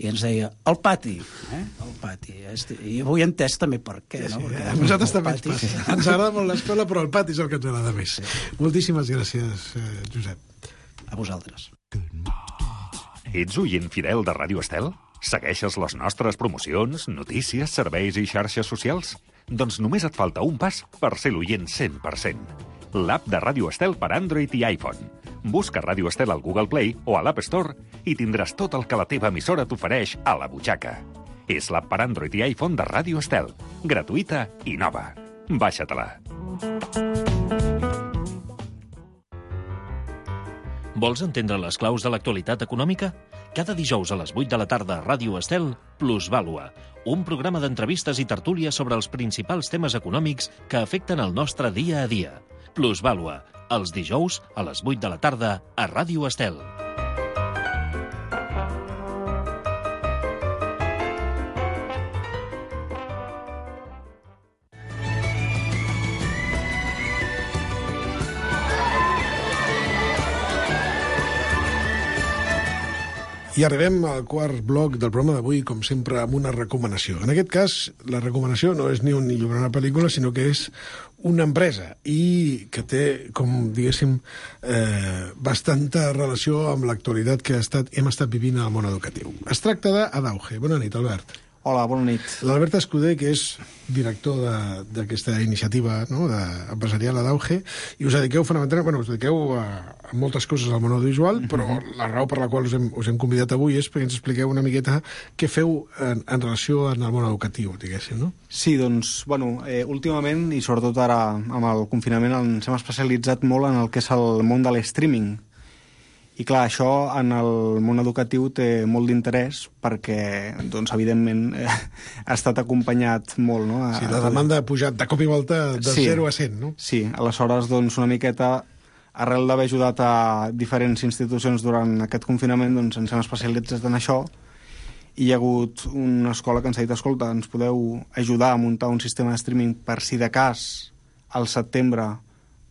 I ens deia, el pati, eh? El pati. I avui he entès també per què, sí, no? Sí, Perquè a nosaltres també pati... ens passa. Ens agrada molt l'escola, però el pati és el que ens agrada més. Sí. Moltíssimes gràcies, eh, Josep. A vosaltres. Ets oient fidel de Ràdio Estel? Segueixes les nostres promocions, notícies, serveis i xarxes socials? Doncs només et falta un pas per ser l'oient cent per cent. L'app de Ràdio Estel per Android i iPhone. Busca Ràdio Estel al Google Play o a l'App Store i tindràs tot el que la teva emissora t'ofereix a la butxaca. És l'app per Android i iPhone de Ràdio Estel. Gratuïta i nova. Baixa-te-la. Vols entendre les claus de l'actualitat econòmica? Cada dijous a les vuit de la tarda a Ràdio Estel, Plusvàlua, un programa d'entrevistes i tertúlies sobre els principals temes econòmics que afecten el nostre dia a dia. Plusvàlua, els dijous a les vuit de la tarda a Ràdio Estel. I arribem al quart bloc del programa d'avui, com sempre, amb una recomanació. En aquest cas, la recomanació no és ni un llibre ni una pel·lícula, sinó que és una empresa i que té, com diguéssim, eh, bastanta relació amb l'actualitat que ha estat, hem estat vivint al món educatiu. Es tracta d'Adauge. Bona nit, Albert. Hola, bona nit. L'Albert Escudé, que és director d'aquesta iniciativa, no?, empresarial Adauge, i us dediqueu fonamentalment, bueno, us dediqueu a, a moltes coses al món audiovisual, però uh-huh. la raó per la qual us hem, us hem convidat avui és perquè ens expliqueu una miqueta què feu en, en relació amb el món educatiu, diguéssim, no? Sí, doncs, bueno, eh, últimament, i sobretot ara amb el confinament, ens hem especialitzat molt en el que és el món de l'streaming. I clar, això en el món educatiu té molt d'interès perquè, doncs, evidentment, eh, ha estat acompanyat molt, no? A, sí, la demanda ha pujat de cop i volta de sí, zero a cent, no? Sí, aleshores, doncs, una miqueta, arrel d'haver ajudat a diferents institucions durant aquest confinament, doncs ens hem especialitzat en això i hi ha hagut una escola que ens ha dit, escolta, ens podeu ajudar a muntar un sistema de streaming per si de cas al setembre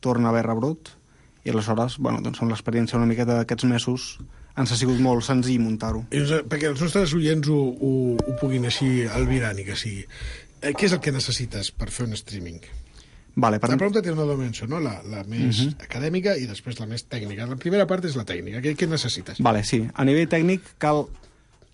torna a haver rebrot? I aleshores, bueno, doncs amb l'experiència una miqueta d'aquests mesos ens ha sigut molt senzill muntar-ho. Perquè els nostres oients ho, ho, ho puguin així albirar, ni que sigui. Eh, què és el que necessites per fer un streaming? Vale, per... La pregunta té una dimensió, no? La, la més uh-huh. acadèmica i després la més tècnica. La primera part és la tècnica. Què, què necessites? Vale, sí. A nivell tècnic cal...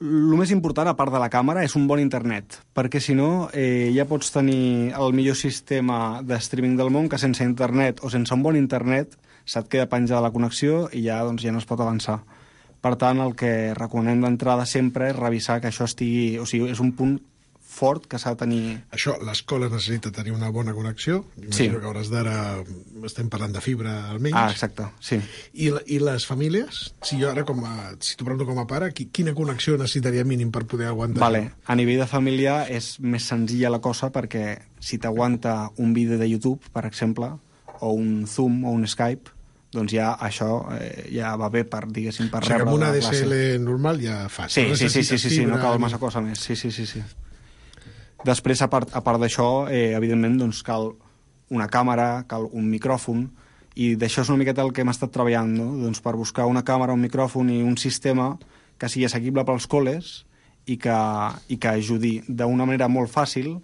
El més important, a part de la càmera, és un bon internet, perquè si no eh, ja pots tenir el millor sistema de streaming del món que sense internet o sense un bon internet se't queda penjada la connexió i ja, doncs, ja no es pot avançar. Per tant, el que recomanem d'entrada sempre és revisar que això estigui... O sigui, és un punt fort que s'ha de tenir... Això, l'escola necessita tenir una bona connexió. Sí. Imagino que a hores d'ara estem parlant de fibra, almenys. Ah, exacte, sí. I, I les famílies? Si jo ara, com a, si t'ho pregunto com a pare, quina connexió necessitaria mínim per poder aguantar? Vale. A nivell de família és més senzilla la cosa perquè si t'aguanta un vídeo de YouTube, per exemple, o un Zoom o un Skype, doncs ja això eh, ja va bé per, diguéssim, per o sigui, rebre amb una la D S L normal ja fa. Sí, sí, sí, sí, sí, sí, no cal massa cosa més. Sí, sí, sí, sí. Després, a part, a part d'això, eh, evidentment, doncs cal una càmera, cal un micròfon, i d'això és una miqueta el que hem estat treballant, no? Doncs per buscar una càmera, un micròfon i un sistema que sigui assequible pels col·les i que, i que ajudi d'una manera molt fàcil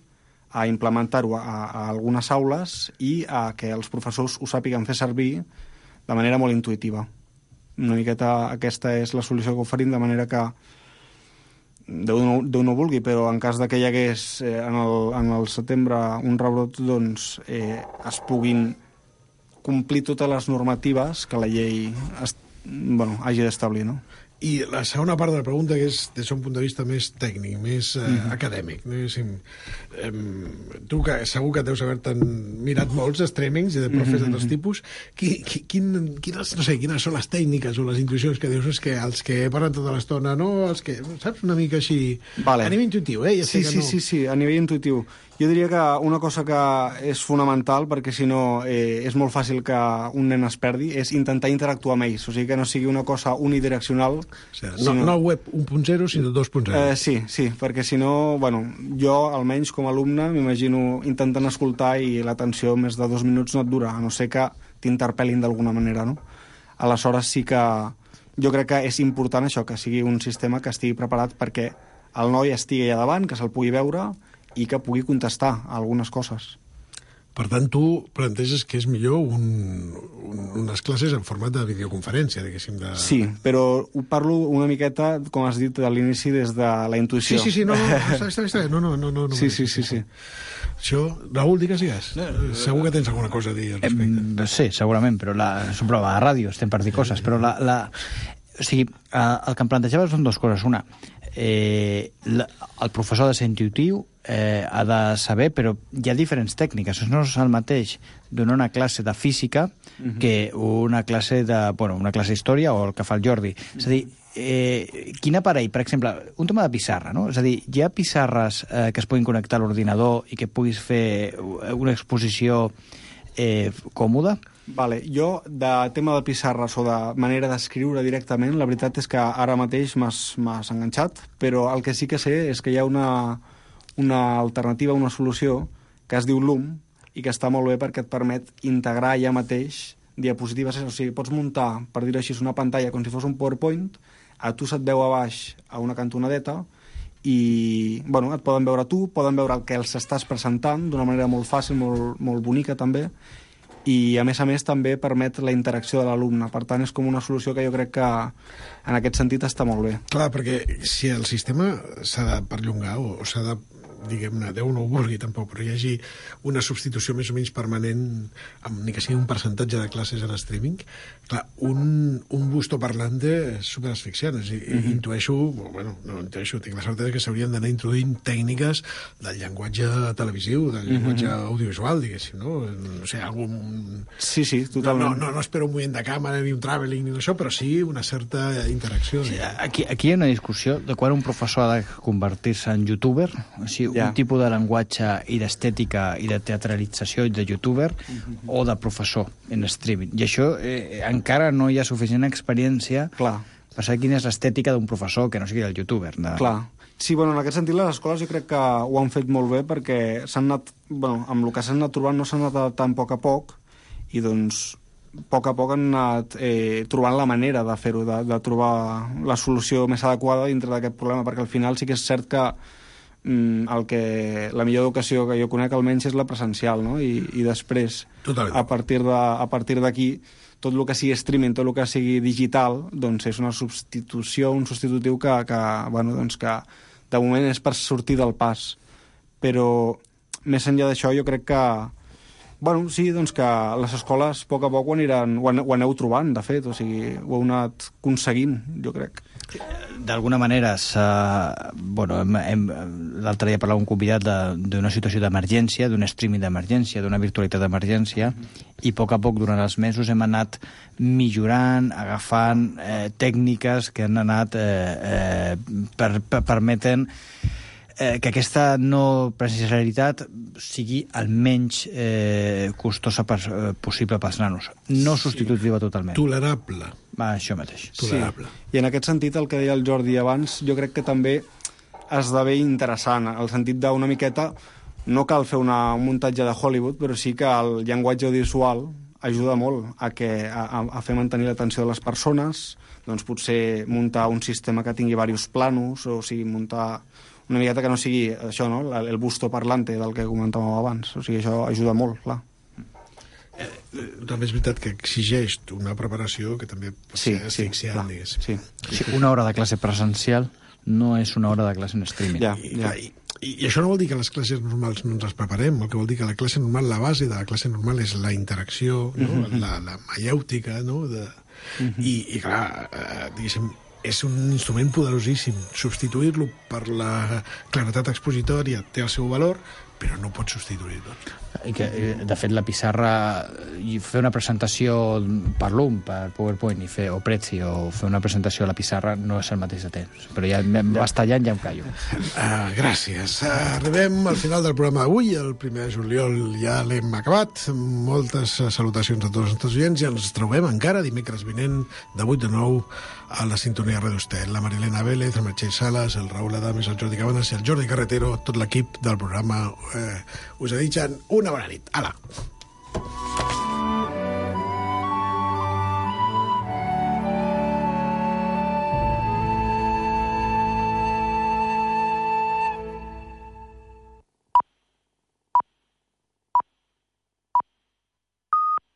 a implementar-ho a, a algunes aules i a que els professors ho sàpiguen fer servir de manera molt intuïtiva. Una miqueta aquesta és la solució que oferim, de manera que Déu no, Déu no vulgui, però en cas de que hi hagués eh, en, el, en el setembre un rebrot, doncs eh, es puguin complir totes les normatives que la llei es, bueno, hagi d'establir, no? I la segona part de la pregunta, que és des d'un punt de vista més tècnic, més eh, mm-hmm. acadèmic. No? Eh, tu, que segur que deus haver-te mirat molts streamings i de profes mm-hmm. de tots tipus, qui, qui, quin, quines, no sé, quines són les tècniques o les intuïcions que dius, és que els que parlen tota l'estona, no? Els que, saps, una mica així... Vale. A nivell intuïtiu, eh? Ja sí, sé que sí, no... sí, sí, a nivell intuïtiu. Jo diria que una cosa que és fonamental, perquè si no eh, és molt fàcil que un nen es perdi, és intentar interactuar amb ells, o sigui que no sigui una cosa unidireccional. O sigui, no, sinó... no web un punt zero, sinó dos punt zero. Eh, sí, sí, perquè si no, bueno, jo almenys com a alumne m'imagino intentant escoltar i l'atenció més de dos minuts no et dura, a no ser que t'interpel·lin d'alguna manera, no? Aleshores sí que jo crec que és important això, que sigui un sistema que estigui preparat perquè el noi estigui allà davant, que se'l pugui veure i que pugui contestar a algunes coses. Per tant, tu planteges que és millor un, un, unes classes en format de videoconferència, diguéssim. De... Sí, però ho parlo una miqueta, com has dit, a l'inici, des de la intuïció. Sí, sí, sí, no, no, està, està, està, no, no, no, no, no. Sí, sí, sí, sí. Això, Raül, digues, digues. Segur que tens alguna cosa a dir al respecte. Eh, sí, segurament, però la, és un programa de ràdio, estem per dir coses, però la, la, o sigui, el que em plantejava són dues coses. Una, eh, la, el professor ha de ser intuïtiu, eh, ha de saber, però hi ha diferents tècniques. No és el mateix donar una classe de física uh-huh. que una classe de, bueno, una classe d'història o el que fa el Jordi. Uh-huh. És a dir, eh, quin aparell, per exemple, un tema de pissarra, no? És a dir, hi ha pissarres eh, que es puguin connectar a l'ordinador i que puguis fer una exposició eh, còmoda? Vale, jo, de tema de pissarres o de manera d'escriure directament, la veritat és que ara mateix m'has enganxat, però el que sí que sé és que hi ha una, una alternativa, una solució, que es diu Loom, i que està molt bé perquè et permet integrar ja mateix diapositives, o sigui, pots muntar, per dir-ho així, una pantalla com si fos un PowerPoint, a tu se't veu a baix a una cantonadeta, i, bueno, et poden veure tu, poden veure el que els estàs presentant d'una manera molt fàcil, molt, molt bonica també, i a més a més també permet la interacció de l'alumne. Per tant, és com una solució que jo crec que en aquest sentit està molt bé. Clar, perquè si el sistema s'ha de perllongar o, o s'ha de, diguem-ne, Déu no ho vulgui tampoc, però hi hagi una substitució més o menys permanent, amb ni que sigui un percentatge de classes en streaming, clar, un, un busto parlante és superasfixiant. És, mm-hmm. Intueixo, bueno, no intueixo, tinc la certesa que s'haurien d'anar introduint tècniques del llenguatge televisiu, del llenguatge mm-hmm. audiovisual, diguéssim, no? No sé, algun... Sí, sí, totalment. No, no, no espero un moviment de càmera, ni un travelling, ni això, però sí una certa interacció. Sí, aquí, aquí hi ha una discussió de quan un professor ha de convertir-se en youtuber, o sigui, ja. un tipus de llenguatge i d'estètica i de teatralització de youtuber mm-hmm. o de professor en streaming. I això eh, encara no hi ha suficient experiència Clar. per saber quina és l'estètica d'un professor que no sigui el youtuber. De... Clar. Sí, bueno, en aquest sentit les escoles jo crec que ho han fet molt bé perquè s'han anat, bueno, amb el que s'han anat trobant no s'han anat adaptant a poc a poc i doncs a poc a poc han anat eh, trobant la manera de fer-ho, de, de trobar la solució més adequada dintre d'aquest problema, perquè al final sí que és cert que el que la millor educació que jo conec almenys és la presencial, no? I, i després Totalment. a partir de, a partir d'aquí tot el que sigui streaming, tot el que sigui digital, doncs és una substitució, un substitutiu que, que, bueno, doncs que de moment és per sortir del pas, però més enllà d'això jo crec que bueno, sí, doncs que les escoles a poc a poc ho, aniran, ho, an, ho aneu trobant, de fet, o sigui, ho heu anat aconseguint, jo crec. D'alguna manera, bueno, hem, hem, l'altre dia parlàvem un convidat d'una situació d'emergència, d'un streaming d'emergència, d'una virtualitat d'emergència, mm-hmm. i a poc a poc, durant els mesos, hem anat millorant, agafant eh, tècniques que han anat eh, eh, per, per, permeten eh, que aquesta no presencialitat sigui el menys eh, costosa per, eh, possible pels nanos. No substitutiva sí. totalment. Tolerable. Va, això mateix. Tolerable. Sí. I en aquest sentit, el que deia el Jordi abans, jo crec que també esdevé interessant, el sentit d'una miqueta, no cal fer una, un muntatge de Hollywood, però sí que el llenguatge audiovisual ajuda molt a, que, a, a fer mantenir l'atenció de les persones, doncs potser muntar un sistema que tingui diversos planos, o sigui, muntar una miqueta que no sigui això, no? el busto parlante del que comentàvem abans. O sigui, això ajuda molt, clar. Eh, també és veritat que exigeix una preparació que també pot sí, ser asfixiant, sí, diguéssim. Sí. Sí, una hora de classe presencial no és una hora de classe en streaming. Ja, I, ja. I, i, I això no vol dir que les classes normals no ens les preparem, el que vol dir que la classe normal, la base de la classe normal és la interacció, no? uh-huh. la, la maièutica, no? De... Uh-huh. I, I clar, eh, diguéssim, és un instrument poderosíssim. Substituir-lo per la claretat expositòria té el seu valor, però no pot substituir-lo. I que, de fet, la pissarra, i fer una presentació per Loom, per PowerPoint, i fer, o Prezi, o fer una presentació a la pissarra no és el mateix de temps. Però ja vas tallant, ja em callo. Uh, gràcies. Uh, arribem al final del programa d'avui. El primer de juliol ja l'hem acabat. Moltes salutacions a tots els nostres oients i ens trobem encara dimecres vinent de vuit a nou a la sintonia Radio Estel. La Marilena Vélez, el Meritxell Sales, el Raül Adames, el Jordi Cabanes i el Jordi Carretero, tot l'equip del programa eh, us ha dit una bona nit. Ala!